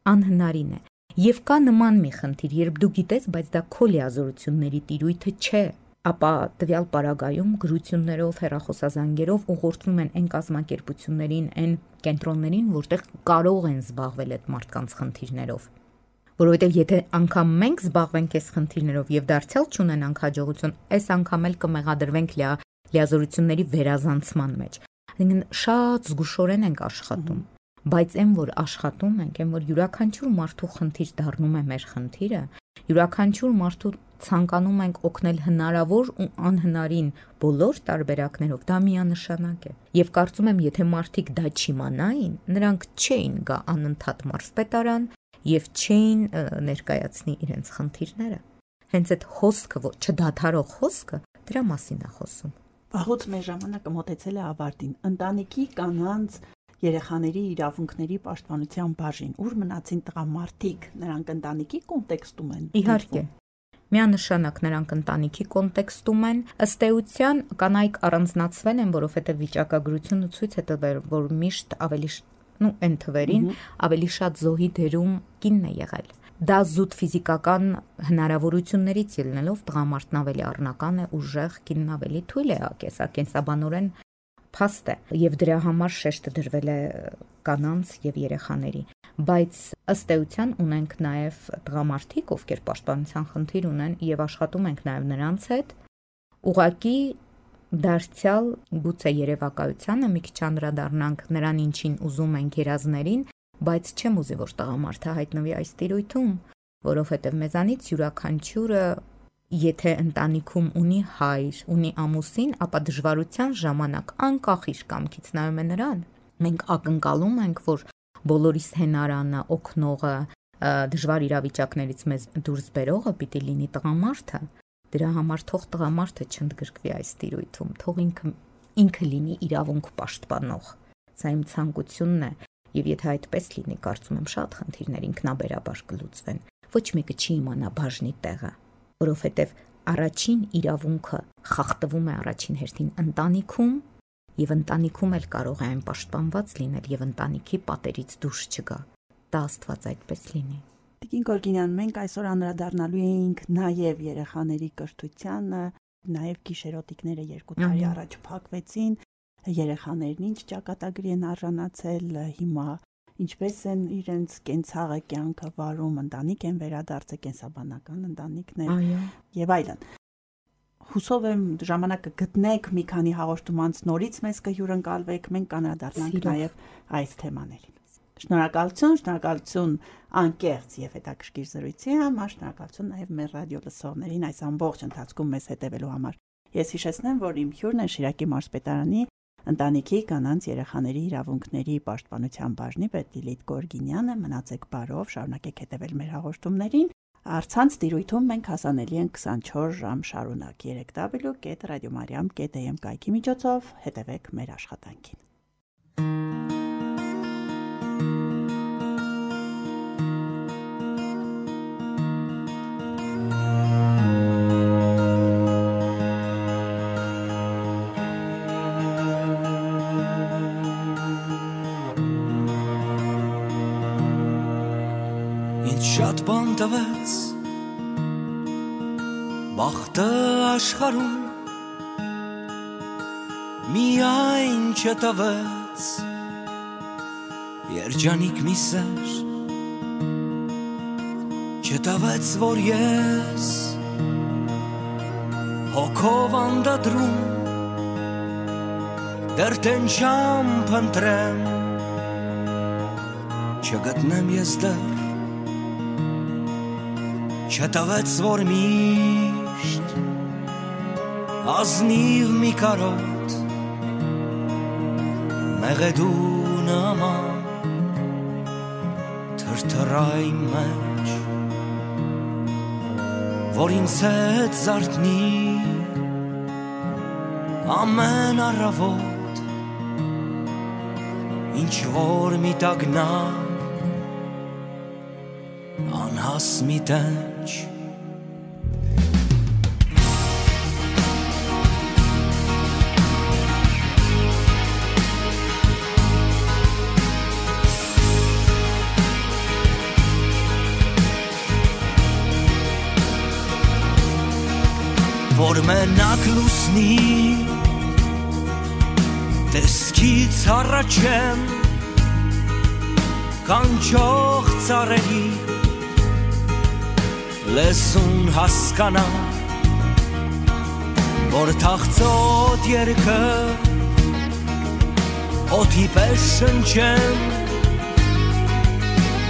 S3: Անհնարին է։ Եվ կա նման մի խնդիր, երբ դու գիտես, բայց դա քո լիազորությունների տիրույթը չէ, ապա տվյալ պարագայում գրություններով, հեռախոսազանգերով ուղղորդվում են այն կազմակերպություններին, այն կենտրոններին, որտեղ կարող են զբաղվել այդ մարդկանց խնդիրներով։ Որովհետև եթե անգամ մենք զբաղվենք այս խնդիրներով եւ դարձյալ չունենանք հաջողություն, այս անգամ էլ կմեղադրվենք լիազորությունների վերազանցման մեջ։ Այսինքն շատ զգուշորեն ենք աշխատում, բայց այն որ աշխատում ենք, այն որ յուրաքանչյուր մարդու խնդիր դառնում է մեր խնդիրը, յուրաքանչյուր մարդու ցանկանում ենք օգնել հնարավոր ու անհնարին բոլոր տարբերակներով, դա միանշանակ է։ Եվ կարծում եմ, եթե մարդիկ դա չիմանային, նրանք չէին գա անընդհատ մարզպետարան եւ չէին ներկայացնի իրենց խնդիրները։ Հենց այդ հոսքը, չդադարող հոսքը, դրա մասին է խոսում։
S2: Վաղուց մեր ժամանակը մոտեցել է ավարտին։ Ընտանիքի կանանց երեխաների իրավունքների պաշտպանության բաժին, ուր մնացին տղամարդիկ, նրանք ընտանիքի կոնտեքստում են։
S3: Իհարկե։ Միանշանակ նրանք ընտանիքի կոնտեքստում են, ըստ էության կանայք առանձնացվել են, որովհետև վիճակագրությունը ցույց է տվել, որ միշտ ավելի այն թվերին ավելի շատ զոհի դերում կինն է եղել։ Դա զուտ ֆիզիկական հնարավորություններից ելնելով տղամարդն ավելի առնական է, ուժեղ, կինն ավելի թույլ է, կենսաբանորեն փաստ է, եւ դրա համար շեշտը դրվել է կանանց եւ երեխաների, բայց ըստ էության ունենք նաեւ տղամարդիկ, ովքեր պաշտպանության խնդիր ունեն եւ աշխատում ենք նաեւ նրանց հետ, ուղղակի դարձյալ գուցե երևակայությանը մի քիչ անդրադառնանք նրան ինչին ուզում ենք երազներին, բայց չեմ ուզի որ տղամարդը հայտնվի այս տիրույթում, որովհետև մեզանից յուրաքանչյուրը եթե ընտանիքում ունի հայր, ունի ամուսին, ապա դժվարության ժամանակ անկախ իր կամքից նայում է նրան։ Մենք ակնկալում ենք, որ բոլորիս հենարանը, օգնողը, դժվար իրավիճակներից մեզ դուրս բերողը պիտի լինի տղամարդը։ Դրա համար թող տղամարդը չընդգրկվի այս տիրույթում, թող ինքը լինի իրավունք պաշտպանող։ Սա իմ ցանկությունն է, եւ եթե այդպես լինի, կարծում եմ շատ խնդիրներ ինքնաբերաբար կլուծվեն, ոչ մեկը չի իմանա բաժնի տեղը, որովհետև առաջին իրավունքը խախտվում է առաջին հերթին ընտանիքում, եւ ընտանիքում էլ կարող է այն պաշտպանված լինել եւ ընտանիքի պատերից դուրս չգա։ Դա Աստված այդպես լինի։
S2: Տիկին Գորգինյան, մենք այսօր անդրադառնալու էինք նաեւ երեխաների կրթությանը, նաեւ գիշերոտիկները 2 տարի առաջ փակվեցին, երեխաներն ինչ ճակատագրի են արժանացել, հիմա ինչպես են իրենց կենցաղը կյանքը վարում, ընտանիք են վերադարձել, կենսաբանական ընտանիքներ եւ այլն։ Հուսով եմ ժամանակը գտնեք մի քանի հաղորդում անց նորից մեզ կհյուրընկալվեք, մենք կանրադառնանք նաեւ այս թեմաներին։ Շնորհակալություն անկեղծ եւ հետաքրքիր զրույցի համար, շնորհակալություն նաեւ մեր ռադիո լսողներին այս ամբողջ ընթացքում մեզ հետևելու համար։ Ես հիշեցնեմ, որ իմ հյուրն է Շիրակի մարզպետարանի ընտանիքի կանանց երեխաների իրավունքների պաշտպանության բաժնի պետ Լիլիթ Գորգինյանը։ Մնացեք բարով, շարունակեք հետևել մեր հաղորդումներին։ Առցանց տիրույթում մենք հասանելի ենք 24 ժամ շարունակ www.radiomariam.am կայքի միջոցով հետևեք մեր աշխատանքին։
S4: Շատ բան տվեց բախտը աշխարհում, միայն չտվեց երջանիկ մի սեր, չտվեց, որ ես հոգով անդադրում դեռ տենչամ փնտրեմ, չգտնեմ ես դեռ, չտվեց, որ միշտ ազնիվ մի կարոտ մեղեդու նման թրթռայ մեջ, որ ինձ հետ զարթնի ամեն առավոտ, ինչ որ մի տագնապ անհաս մի տենչ, որ մենակ լուսնի տեսքից առաջեմ կանչող ծառերի լեսուն հասկանա, որ թախծոտ երգը օդի պես շնչեմ,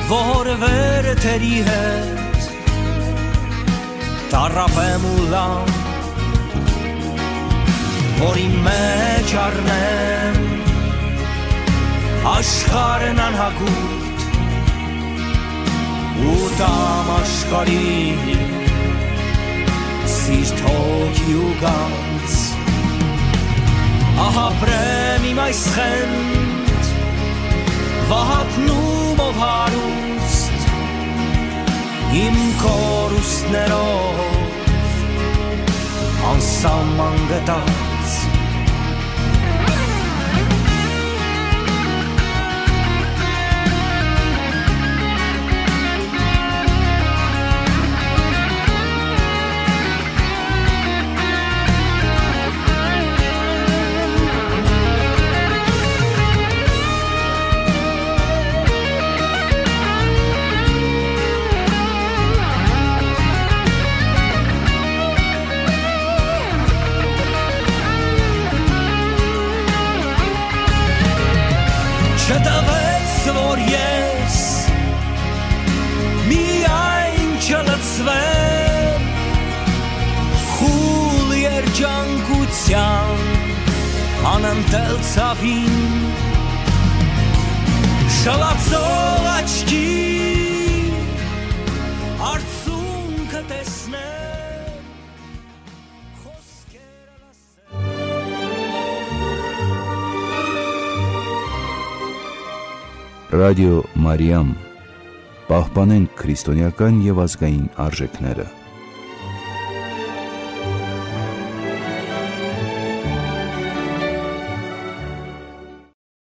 S4: որ վերթերի հետ տառապեմ ու լամ, որ իմ մեջ առնեմ աշխարհն անհագուտ ու տամ աշխարհի սիրտ հոգի ու գանձ, ահապրեմ իմ այս խենդ վահատնում ով հարուստ իմ կորուստներով անսահման գտած, չտվեց, որ ես միայն չլցվեմ խուլ երջանկության անընդել ցավին, շլացող աչքի արցունքը տեսնեմ, խոսքերը լսեմ։
S1: Ռադիո Մարիամ Պահպանենք քրիստոնեական եւ ազգային արժեքները։